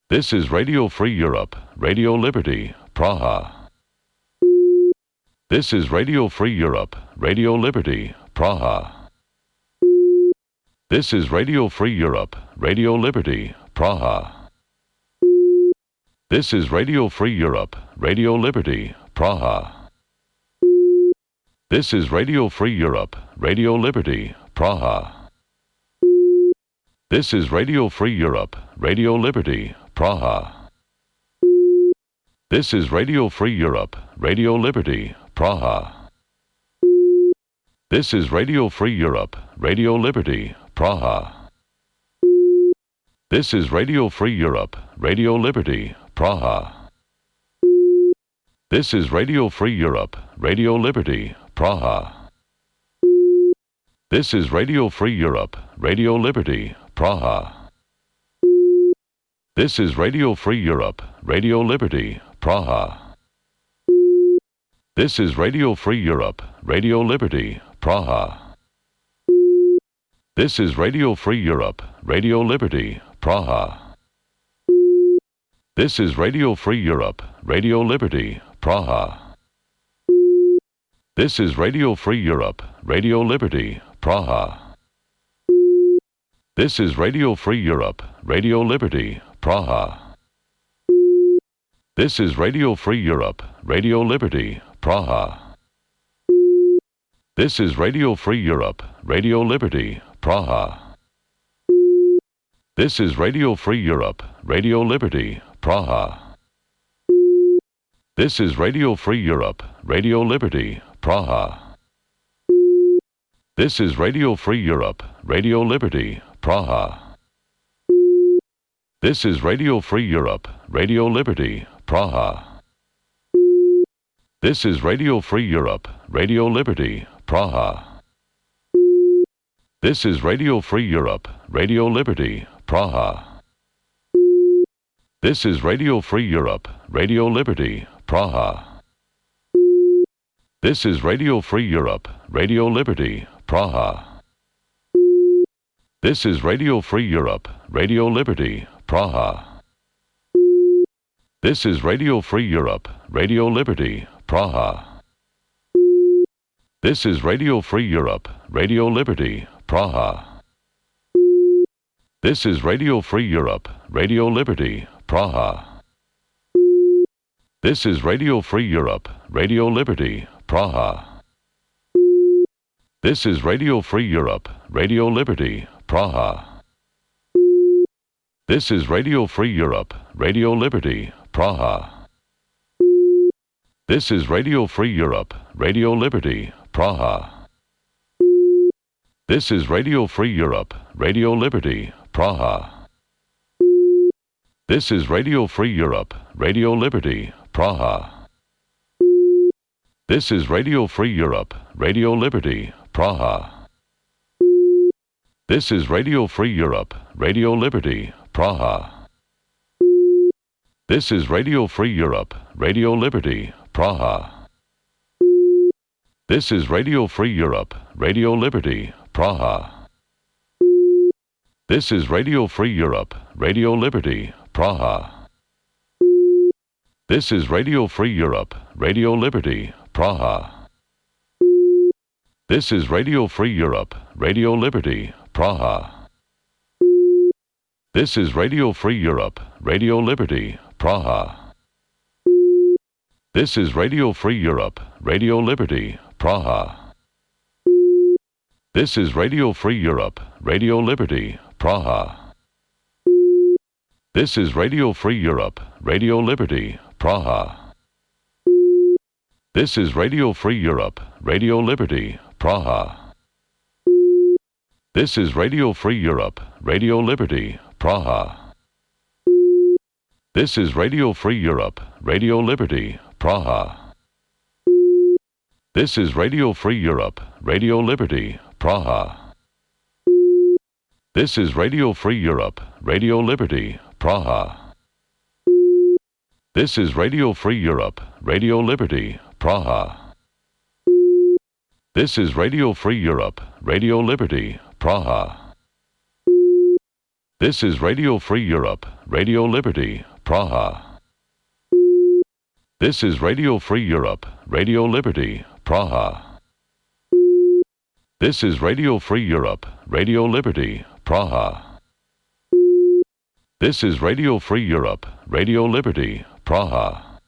This is Radio Free Europe, Radio Liberty, Praha. This is Radio Free Europe, Radio Liberty, Praha. This is Radio Free Europe, Radio Liberty, Praha. This is Radio Free Europe, Radio Liberty, Praha. This is Radio Free Europe, Radio Liberty, Praha. This is Radio Free Europe, Radio Liberty, Praha. This is Radio Free Europe, Radio Liberty, Praha. This is Radio Free Europe, Radio Liberty, Praha. This is Radio Free Europe, Radio Liberty, Praha. This is Radio Free Europe, Radio Liberty, Praha. This is Radio Free Europe, Radio Liberty, Praha. This is Radio Free Europe, Radio Liberty, Praha. This is Radio Free Europe, Radio Liberty, Praha. This is Radio Free Europe, Radio Liberty, Praha. This is Radio Free Europe, Radio Liberty, Praha. This is Radio Free Europe, Radio Liberty, Praha. This is Radio Free Europe, Radio Liberty, Praha. This is Radio Free Europe, Radio Liberty, Praha. This is Radio Free Europe, Radio Liberty, Praha. This is Radio Free Europe, Radio Liberty, Praha. This is Radio Free Europe, Radio Liberty, Praha. This is Radio Free Europe, Radio Liberty, Praha. This is Radio Free Europe, Radio Liberty, Praha. This is Radio Free Europe, Radio Liberty, Praha. This is Radio Free Europe, Radio Liberty, Praha. This is Radio Free Europe, Radio Liberty, Praha. This is Radio Free Europe, Radio Liberty, Praha. This is Radio Free Europe, Radio Liberty, Praha. This is Radio Free Europe, Radio Liberty, Praha. This is Radio Free Europe, Radio Liberty, Praha. This is Radio Free Europe, Radio Liberty, Praha. This is Radio Free Europe, Radio Liberty, Praha. This is Radio Free Europe, Radio Liberty, Praha. This is Radio Free Europe, Radio Liberty, Praha. This is Radio Free Europe, Radio Liberty, Praha. This is Radio Free Europe, Radio Liberty, Praha. This is Radio Free Europe, Radio Liberty, Praha. This is Radio Free Europe, Radio Liberty, Praha. This is Radio Free Europe, Radio Liberty, Praha. This is Radio Free Europe, Radio Liberty, Praha. This is Radio Free Europe, Radio Liberty, Praha. This is Radio Free Europe, Radio Liberty, Praha. This is Radio Free Europe, Radio Liberty, Praha. This is Radio Free Europe, Radio Liberty, Praha. This is Radio Free Europe, Radio Liberty, Praha. This is Radio Free Europe, Radio Liberty, Praha. This is Radio Free Europe, Radio Liberty, Praha. This is Radio Free Europe, Radio Liberty, Praha. This is Radio Free Europe, Radio Liberty, Praha. This is Radio Free Europe, Radio Liberty, Praha. This is Radio Free Europe, Radio Liberty, Praha. This is Radio Free Europe, Radio Liberty, Praha. This is Radio Free Europe, Radio Liberty, Praha. This is Radio Free Europe, Radio Liberty, Praha. This is Radio Free Europe, Radio Liberty, Praha. This is Radio Free Europe, Radio Liberty, Praha. This is Radio Free Europe, Radio Liberty, Praha. This is Radio Free Europe, Radio Liberty, Praha. This is Radio Free Europe, Radio Liberty, Praha.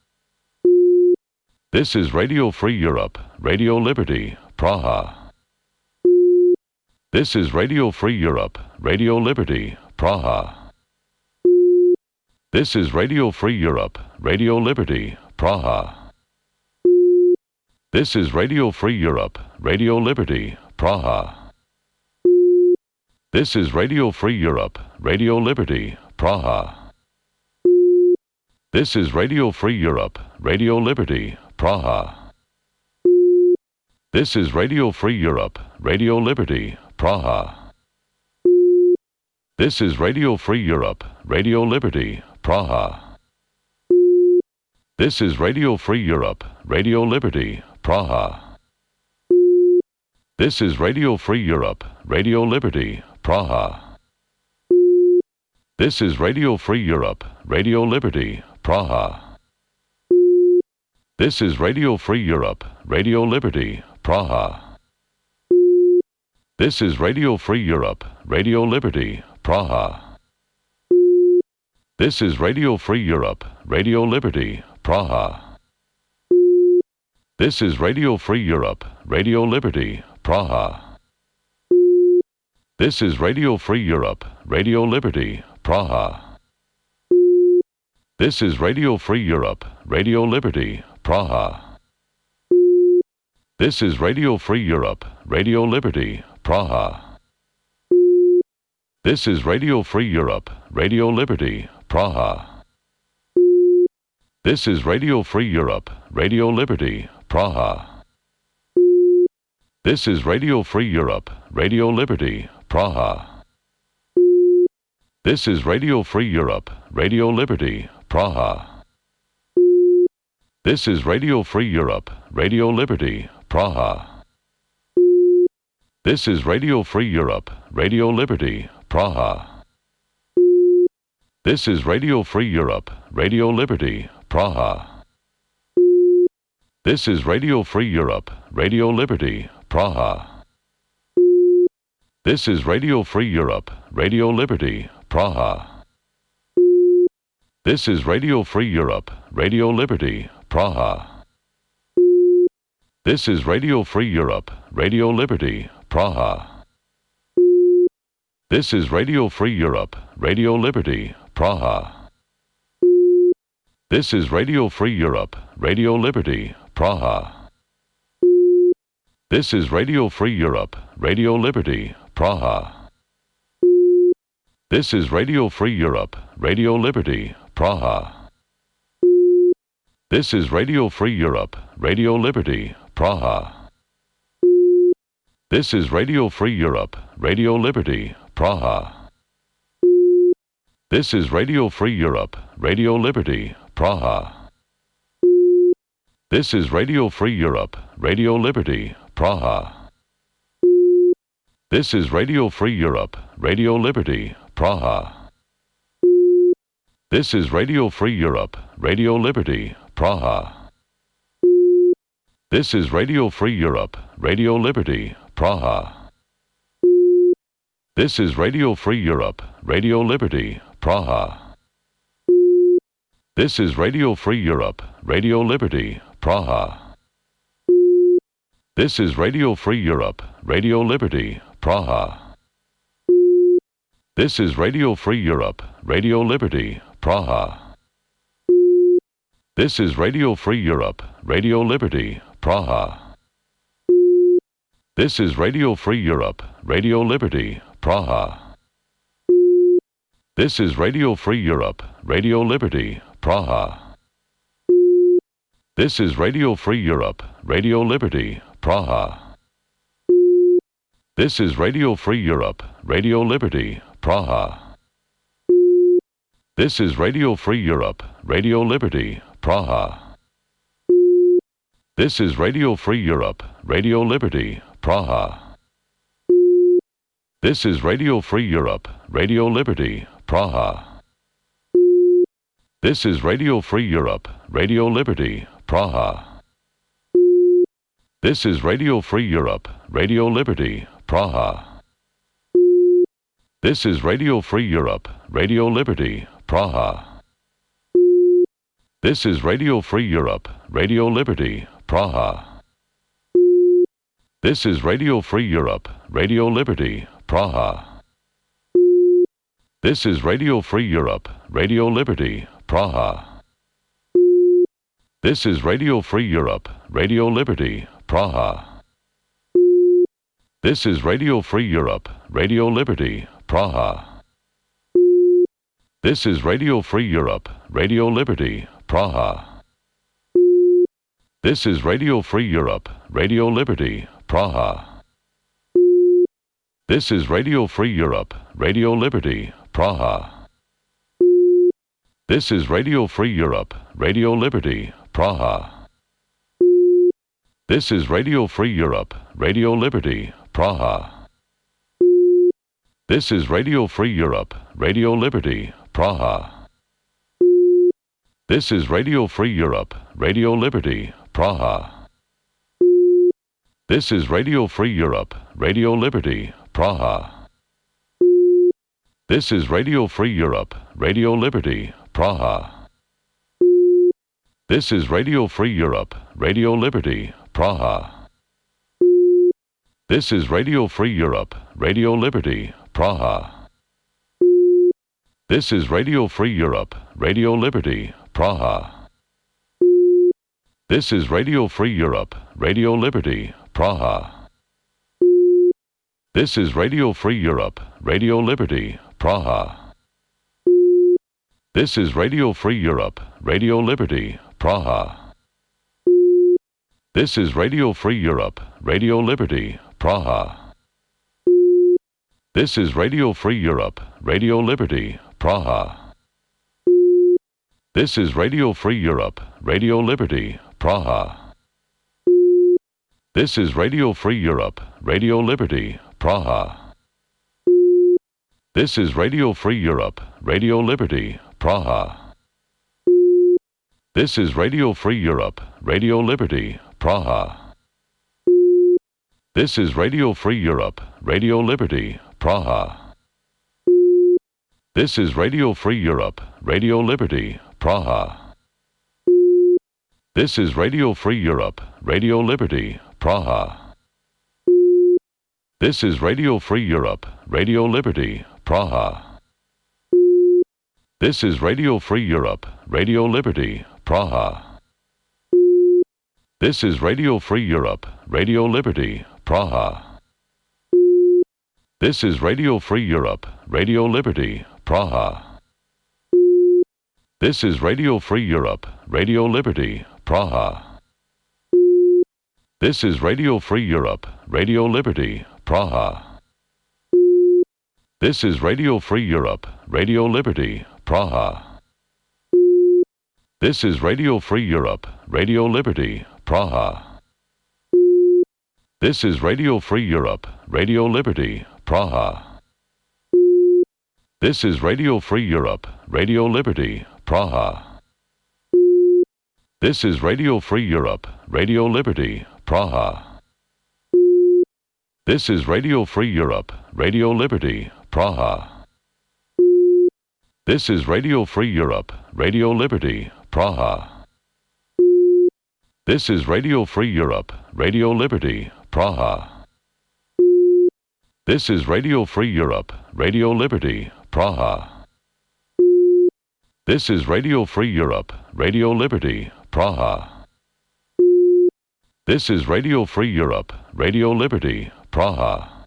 This is Radio Free Europe, Radio Liberty, Praha. This is Radio Free Europe, Radio Liberty, Praha. This is Radio Free Europe, Radio Liberty, Praha. This is Radio Free Europe, Radio Liberty, Praha. This is Radio Free Europe, Radio Liberty, Praha. This is Radio Free Europe, Radio Liberty, Praha. This is Radio Free Europe, Radio Liberty, Praha. This is Radio Free Europe, Radio Liberty, Praha. This is Radio Free Europe, Radio Liberty, Praha. This is Radio Free Europe, Radio Liberty, Praha. This is Radio Free Europe, Radio Liberty, Praha. This is Radio Free Europe, Radio Liberty, Praha. This is Radio Free Europe, Radio Liberty, Praha. This is Radio Free Europe, Radio Liberty, Praha. This is Radio Free Europe, Radio Liberty, Praha. This is Radio Free Europe, Radio Liberty, Praha. This is Radio Free Europe, Radio Liberty, Praha. This is Radio Free Europe, Radio Liberty, Praha. This is Radio Free Europe, Radio Liberty, Praha. This is Radio Free Europe, Radio Liberty, Praha. This is Radio Free Europe, Radio Liberty, Praha. This is Radio Free Europe, Radio Liberty, Praha. This is Radio Free Europe, Radio Liberty, Praha. This is Radio Free Europe, Radio Liberty, Praha. This is Radio Free Europe, Radio Liberty, Praha. This is Radio Free Europe, Radio Liberty, Praha. This is Radio Free Europe, Radio Liberty, Praha. This is Radio Free Europe, Radio Liberty, Praha. This is Radio Free Europe, Radio Liberty, Praha. This is Radio Free Europe, Radio Liberty, Praha. This is Radio Free Europe, Radio Liberty, Praha. This is Radio Free Europe, Radio Liberty, Praha. This is Radio Free Europe, Radio Liberty, Praha. This is Radio Free Europe, Radio Liberty, Praha. This is Radio Free Europe, Radio Liberty, Praha. This is Radio Free Europe, Radio Liberty, Praha. This is Radio Free Europe, Radio Liberty, Praha. This is Radio Free Europe, Radio Liberty, Praha. This is Radio Free Europe, Radio Liberty, Praha. This is Radio Free Europe, Radio Liberty, Praha. This is Radio Free Europe, Radio Liberty, Praha. This is Radio Free Europe, Radio Liberty, Praha. This is Radio Free Europe, Radio Liberty, Praha. This is Radio Free Europe, Radio Liberty, Praha. This is Radio Free Europe, Radio Liberty, Praha. This is Radio Free Europe, Radio Liberty, Praha. This is Radio Free Europe, Radio Liberty, Praha. This is Radio Free Europe, Radio Liberty, Praha. This is Radio Free Europe, Radio Liberty, Praha. This is Radio Free Europe, Radio Liberty, Praha. This is Radio Free Europe, Radio Liberty, Praha. This is Radio Free Europe, Radio Liberty, Praha. This is Radio Free Europe, Radio Liberty, Praha. This is Radio Free Europe, Radio Liberty, Praha. This is Radio Free Europe, Radio Liberty, Praha. This is Radio Free Europe, Radio Liberty, Praha. This is Radio Free Europe, Radio Liberty, Praha. This is Radio Free Europe, Radio Liberty, Praha. This is Radio Free Europe, Radio Liberty, Praha. This is Radio Free Europe, Radio Liberty, Praha. This is Radio Free Europe, Radio Liberty, Praha. This is Radio Free Europe, Radio Liberty, Praha. This is Radio Free Europe, Radio Liberty, Praha. This is Radio Free Europe, Radio Liberty, Praha. This is Radio Free Europe, Radio Liberty, Praha. This is Radio Free Europe, Radio Liberty, Praha. This is Radio Free Europe, Radio Liberty, Praha. This is Radio Free Europe, Radio Liberty, Praha. This is Radio Free Europe, Radio Liberty, Praha. This is Radio Free Europe, Radio Liberty, Praha. This is Radio Free Europe, Radio Liberty, Praha. This is Radio Free Europe, Radio Liberty, Praha. This is Radio Free Europe, Radio Liberty, Praha. This is Radio Free Europe, Radio Liberty, Praha. This is Radio Free Europe, Radio Liberty, Praha. This is Radio Free Europe, Radio Liberty, Praha. This is Radio Free Europe, Radio Liberty, Praha. This is Radio Free Europe, Radio Liberty, Praha. This is Radio Free Europe, Radio Liberty, Praha. This is Radio Free Europe, Radio Liberty, Praha. This is Radio Free Europe, Radio Liberty, Praha. This is Radio Free Europe, Radio Liberty, Praha. This is Radio Free Europe, Radio Liberty, Praha. This is Radio Free Europe, Radio Liberty, Praha. This is Radio Free Europe, Radio Liberty, Praha. This is Radio Free Europe, Radio Liberty, Praha. This is Radio Free Europe, Radio Liberty, Praha. This is Radio Free Europe, Radio Liberty, Praha. This is Radio Free Europe, Radio Liberty, Praha. This is Radio Free Europe, Radio Liberty, Praha. This is Radio Free Europe, Radio Liberty, Praha. This is Radio Free Europe, Radio Liberty, Praha. This is Radio Free Europe, Radio Liberty, Praha. This is Radio Free Europe, Radio Liberty, Praha. This is Radio Free Europe, Radio Liberty, Praha. This is Radio Free Europe, Radio Liberty, Praha. This is Radio Free Europe, Radio Liberty, Praha. This is Radio Free Europe, Radio Liberty, Praha. This is Radio Free Europe, Radio Liberty, Praha. This is Radio Free Europe, Radio Liberty, Praha. This is Radio Free Europe, Radio Liberty, Praha.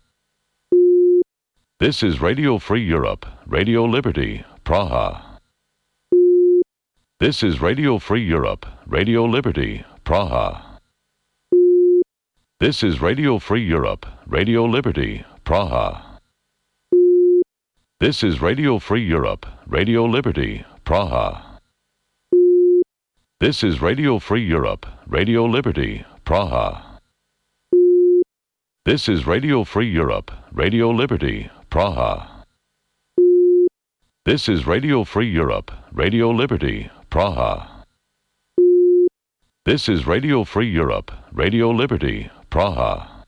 This is Radio Free Europe, Radio Liberty, Praha. This is Radio Free Europe, Radio Liberty, Praha. This is Radio Free Europe, Radio Liberty, Praha. This is Radio Free Europe, Radio Liberty, Praha. This is Radio Free Europe, Radio Liberty, Praha. This is Radio Free Europe, Radio Liberty, Praha. This is Radio Free Europe, Radio Liberty, Praha. This is Radio Free Europe, Radio Liberty, Praha.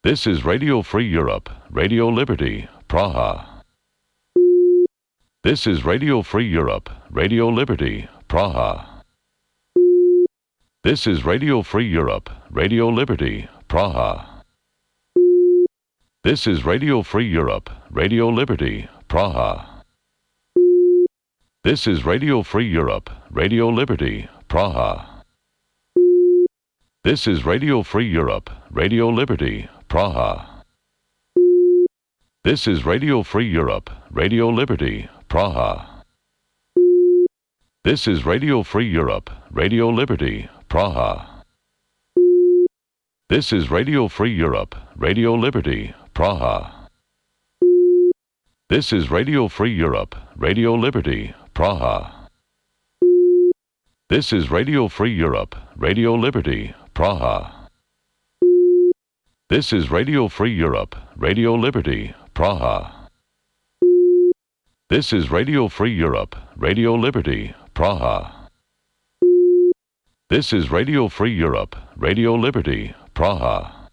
This is Radio Free Europe, Radio Liberty, Praha. This is Radio Free Europe, Radio Liberty, Praha. This is Radio Free Europe, Radio Liberty, Praha. This is Radio Free Europe, Radio Liberty, Praha. This is Radio Free Europe, Radio Liberty, Praha. This is Radio Free Europe, Radio Liberty, Praha. This is Radio Free Europe, Radio Liberty, Praha. This is Radio Free Europe, Radio Liberty, Praha. This is Radio Free Europe, Radio Liberty, Praha. This is Radio Free Europe, Radio Liberty, Praha. This is Radio Free Europe, Radio Liberty, Praha. This is Radio Free Europe, Radio Liberty, Praha. This is Radio Free Europe, Radio Liberty, Praha. This is Radio Free Europe, Radio Liberty, Praha.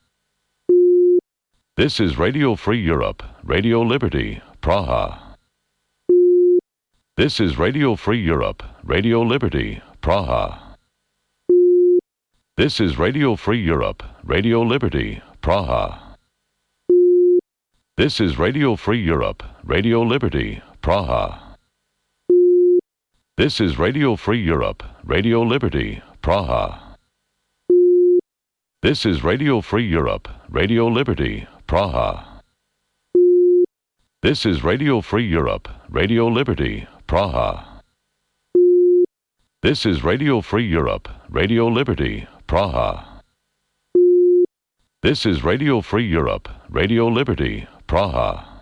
This is Radio Free Europe, Radio Liberty, Praha. This is Radio Free Europe, Radio Liberty, Praha. This is Radio Free Europe, Radio Liberty, Praha. This is Radio Free Europe, Radio Liberty, Praha. This is Radio Free Europe, Radio Liberty, Praha. This is Radio Free Europe, Radio Liberty, Praha. This is Radio Free Europe, Radio Liberty, Praha. This is Radio Free Europe, Radio Liberty, Praha. This is Radio Free Europe, Radio Liberty, Praha.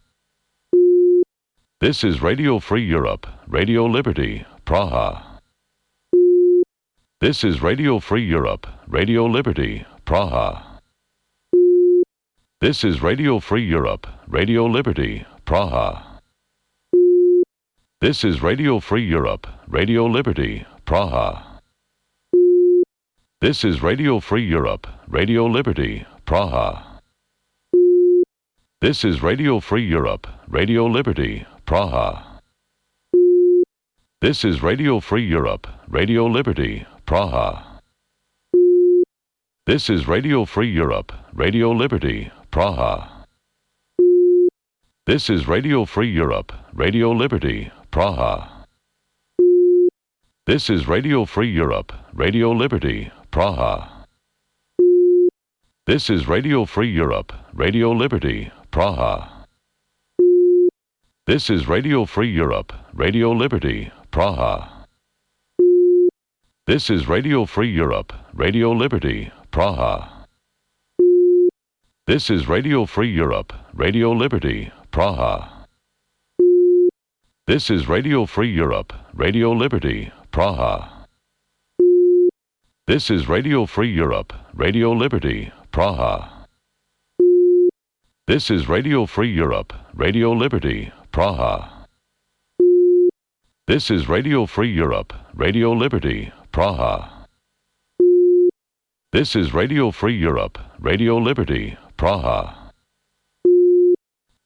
This is Radio Free Europe, Radio Liberty, Praha. This is Radio Free Europe, Radio Liberty, Praha. This is Radio Free Europe, Radio Liberty, Praha. This is Radio Free Europe, Radio Liberty, Praha. This is Radio Free Europe, Radio Liberty, Praha. This is Radio Free Europe, Radio Liberty, Praha. This is Radio Free Europe, Radio Liberty, Praha. This is Radio Free Europe, Radio Liberty, Praha. This is Radio Free Europe, Radio Liberty, Praha. This is Radio Free Europe, Radio Liberty, Praha. This is Radio Free Europe, Radio Liberty, Praha. This is Radio Free Europe, Radio Liberty, Praha. This is Radio Free Europe, Radio Liberty, Praha. This is Radio Free Europe, Radio Liberty, Praha. This is Radio Free Europe, Radio Liberty, Praha. This is Radio Free Europe, Radio Liberty, Praha. This is Radio Free Europe, Radio Liberty, Praha. This is Radio Free Europe, Radio Liberty, Praha. This is Radio Free Europe, Radio Liberty, Praha.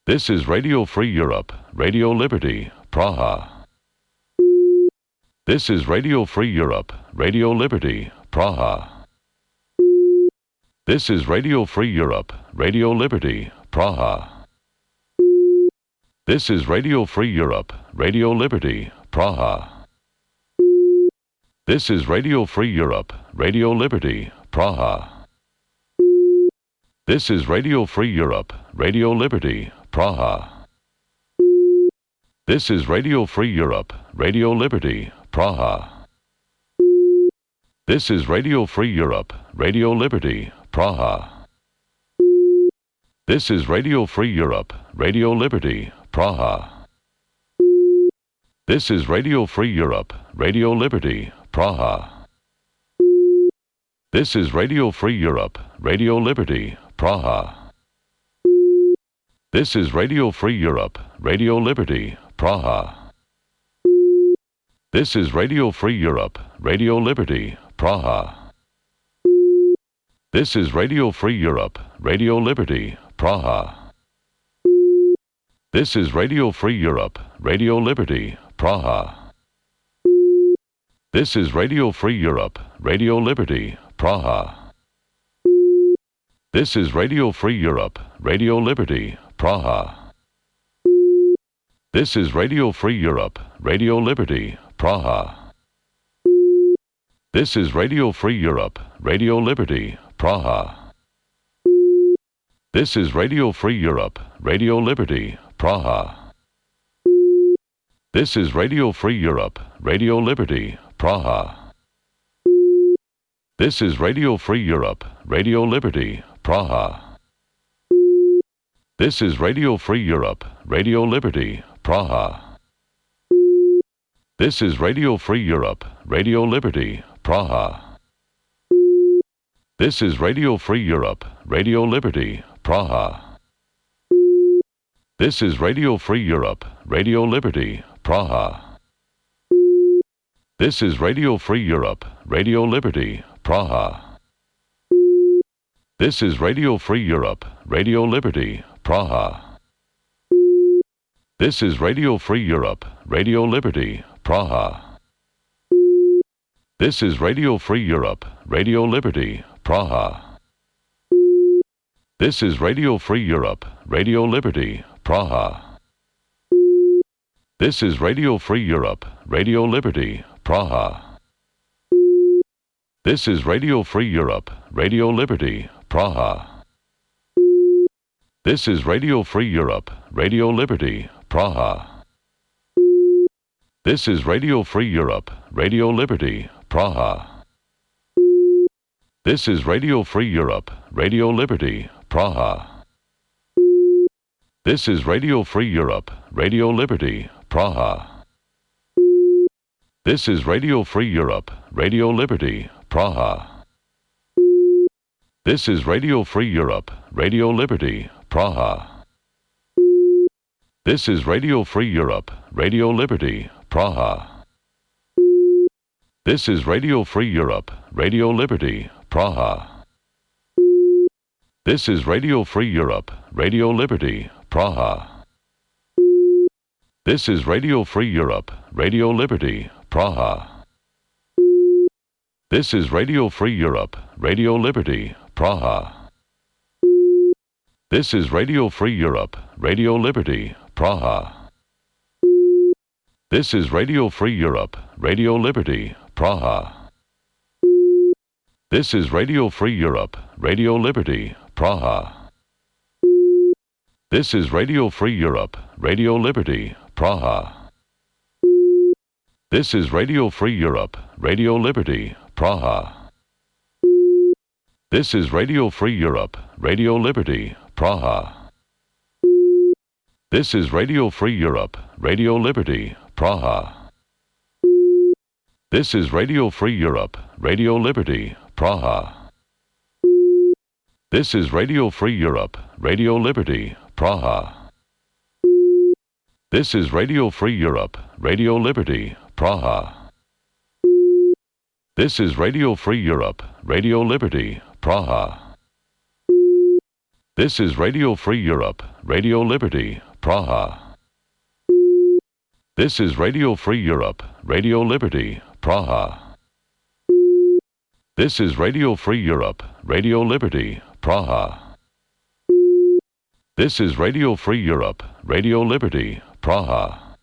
This is Radio Free Europe, Radio Liberty, Praha. This is Radio Free Europe, Radio Liberty, Praha. This is Radio Free Europe, Radio Liberty, Praha. This is Radio Free Europe, Radio Liberty, Praha. This is Radio Free Europe, Radio Liberty, Praha. This is Radio Free Europe, Radio Liberty, Praha. This is Radio Free Europe, Radio Liberty, Praha. This is Radio Free Europe, Radio Liberty, Praha. This is Radio Free Europe, Radio Liberty, Praha. This is Radio Free Europe, Radio Liberty, Praha. This is Radio Free Europe, Radio Liberty, Praha. This is Radio Free Europe, Radio Liberty, Praha. This is Radio Free Europe, Radio Liberty, Praha. This is Radio Free Europe, Radio Liberty, Praha. This is Radio Free Europe, Radio Liberty, Praha. This is Radio Free Europe, Radio Liberty, Praha. This is Radio Free Europe, Radio Liberty, Praha. This is Radio Free Europe, Radio Liberty, Praha. This is Radio Free Europe, Radio Liberty, Praha. This is Radio Free Europe, Radio Liberty, Praha. This is Radio Free Europe, Radio Liberty, Praha. This is Radio Free Europe, Radio Liberty, Praha. This is Radio Free Europe, Radio Liberty, Praha. This is Radio Free Europe, Radio Liberty, Praha. This is Radio Free Europe, Radio Liberty, Praha. This is Radio Free Europe, Radio Liberty, Praha. This is Radio Free Europe, Radio Liberty, Praha. This is Radio Free Europe, Radio Liberty, Praha. This is Radio Free Europe, Radio Liberty, Praha. This is Radio Free Europe, Radio Liberty, Praha. This is Radio Free Europe, Radio Liberty, Praha. This is Radio Free Europe, Radio Liberty, Praha. This is Radio Free Europe, Radio Liberty, Praha. This is Radio Free Europe, Radio Liberty, Praha. This is Radio Free Europe, Radio Liberty, Praha. This is Radio Free Europe, Radio Liberty, Praha. This is Radio Free Europe, Radio Liberty, Praha. This is Radio Free Europe, Radio Liberty, Praha. This is Radio Free Europe, Radio Liberty, Praha. This is Radio Free Europe, Radio Liberty, Praha. This is Radio Free Europe, Radio Liberty, Praha. This is Radio Free Europe, Radio Liberty, Praha. This is Radio Free Europe, Radio Liberty, Praha. This is Radio Free Europe, Radio Liberty, Praha. This is Radio Free Europe, Radio Liberty, Praha. This is Radio Free Europe, Radio Liberty, Praha. This is Radio Free Europe, Radio Liberty, Praha. This is Radio Free Europe, Radio Liberty, Praha. This is Radio Free Europe, Radio Liberty, Praha. This is Radio Free Europe, Radio Liberty, Praha. This is Radio Free Europe, Radio Liberty, Praha. This is Radio Free Europe, Radio Liberty, Praha. This is Radio Free Europe, Radio Liberty, Praha. This is Radio Free Europe, Radio Liberty, Praha. This is Radio Free Europe, Radio Liberty, Praha. This is Radio Free Europe, Radio Liberty, Praha. This is Radio Free Europe, Radio Liberty, Praha. This is Radio Free Europe, Radio Liberty, Praha. This is Radio Free Europe, Radio Liberty, Praha.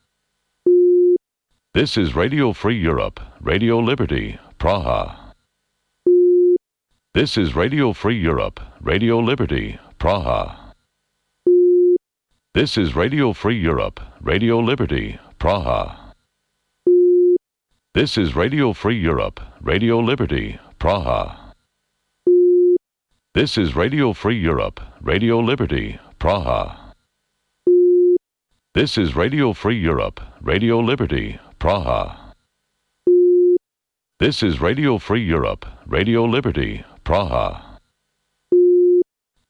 This is Radio Free Europe, Radio Liberty, Praha. This is Radio Free Europe, Radio Liberty, Praha. This is Radio Free Europe, Radio Liberty, Praha. This is Radio Free Europe, Radio Liberty, Praha. This is Radio Free Europe, Radio Liberty, Praha. This is Radio Free Europe, Radio Liberty, Praha. This is Radio Free Europe, Radio Liberty, Praha.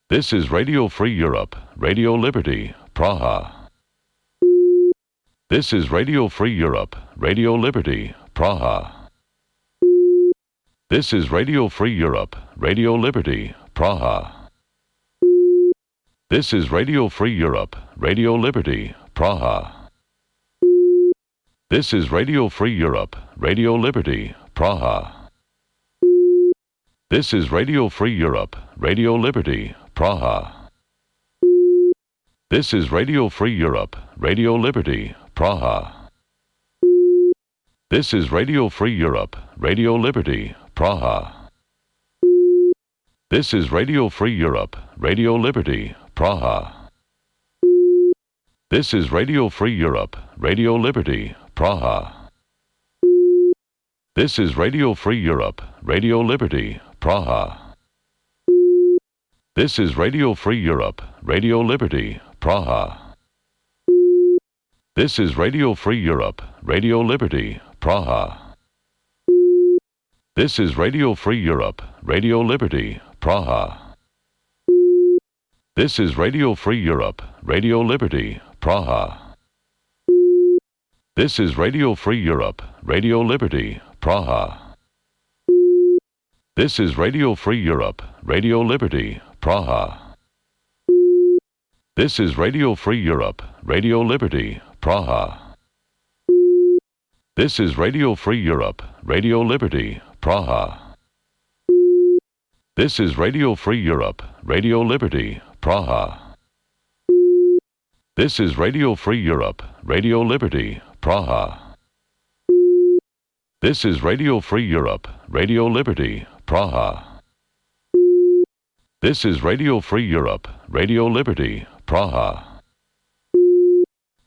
This is Radio Free Europe, Radio Liberty, Praha. This is Radio Free Europe, Radio Liberty, Praha. This is Radio Free Europe, Radio Liberty, Praha. This is Radio Free Europe, Radio Liberty, Praha. This is Radio Free Europe, Radio Liberty, Praha. This is Radio Free Europe, Radio Liberty, Praha. This is Radio Free Europe, Radio Liberty, Praha. This is Radio Free Europe, Radio Liberty, Praha. This is Radio Free Europe, Radio Liberty, Praha. This is Radio Free Europe, Radio Liberty, Praha. This is Radio Free Europe, Radio Liberty, Praha. This is Radio Free Europe, Radio Liberty, Praha. This is Radio Free Europe, Radio Liberty, Praha. This is Radio Free Europe, Radio Liberty, Praha. This is Radio Free Europe, Radio Liberty, Praha. This is Radio Free Europe, Radio Liberty, Praha. This is Radio Free Europe, Radio Liberty, Praha. This is Radio Free Europe, Radio Liberty, Praha. This is Radio Free Europe, Radio Liberty, Praha. This is Radio Free Europe, Radio Liberty, Praha. This is Radio Free Europe, Radio Liberty, Praha. This is Radio Free Europe, Radio Liberty, Praha. This is Radio Free Europe, Radio Liberty, Praha.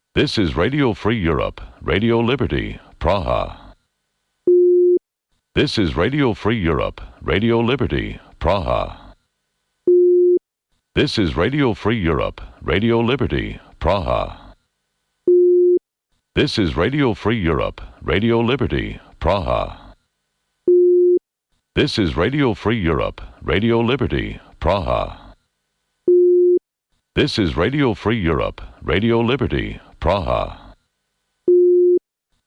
This is Radio Free Europe, Radio Liberty, Praha. This is Radio Free Europe, Radio Liberty, Praha. This is Radio Free Europe, Radio Liberty, Praha. This is Radio Free Europe, Radio Liberty, Praha. This is Radio Free Europe, Radio Liberty, Praha. This is Radio Free Europe, Radio Liberty, Praha.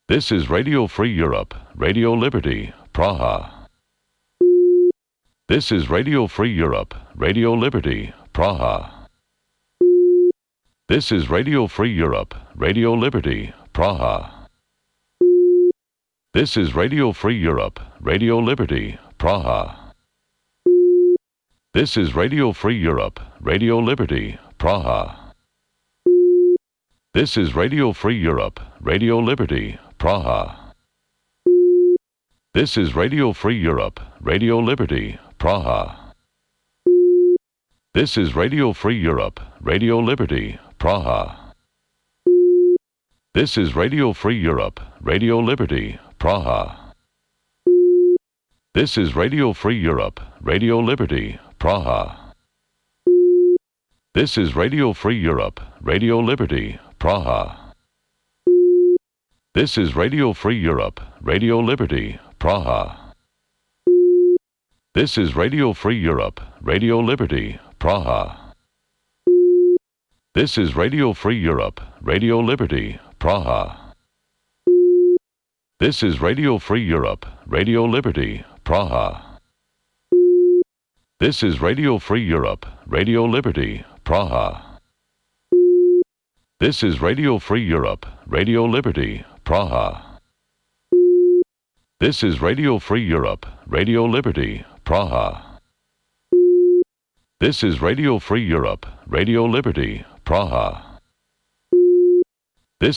This is Radio Free Europe, Radio Liberty, Praha. This is Radio Free Europe, Radio Liberty, Praha. This is Radio Free Europe, Radio Liberty, Praha. This is Radio Free Europe, Radio Liberty, Praha. This is Radio Free Europe, Radio Liberty, Praha. This is Radio Free Europe, Radio Liberty, Praha. This is Radio Free Europe, Radio Liberty, Praha. This is Radio Free Europe, Radio Liberty, Praha. This is Radio Free Europe, Radio Liberty, Praha. This is Radio Free Europe, Radio Liberty, Praha. This is Radio Free Europe, Radio Liberty, Praha. This is Radio Free Europe, Radio Liberty, Praha. This is Radio Free Europe, Radio Liberty, Praha. This is Radio Free Europe, Radio Liberty, Praha. This is Radio Free Europe, Radio Liberty, Praha. This is Radio Free Europe, Radio Liberty, Praha. This is Radio Free Europe, Radio Liberty, Praha. This is Radio Free Europe, Radio Liberty, Praha. This is Radio Free Europe, Radio Liberty, Praha.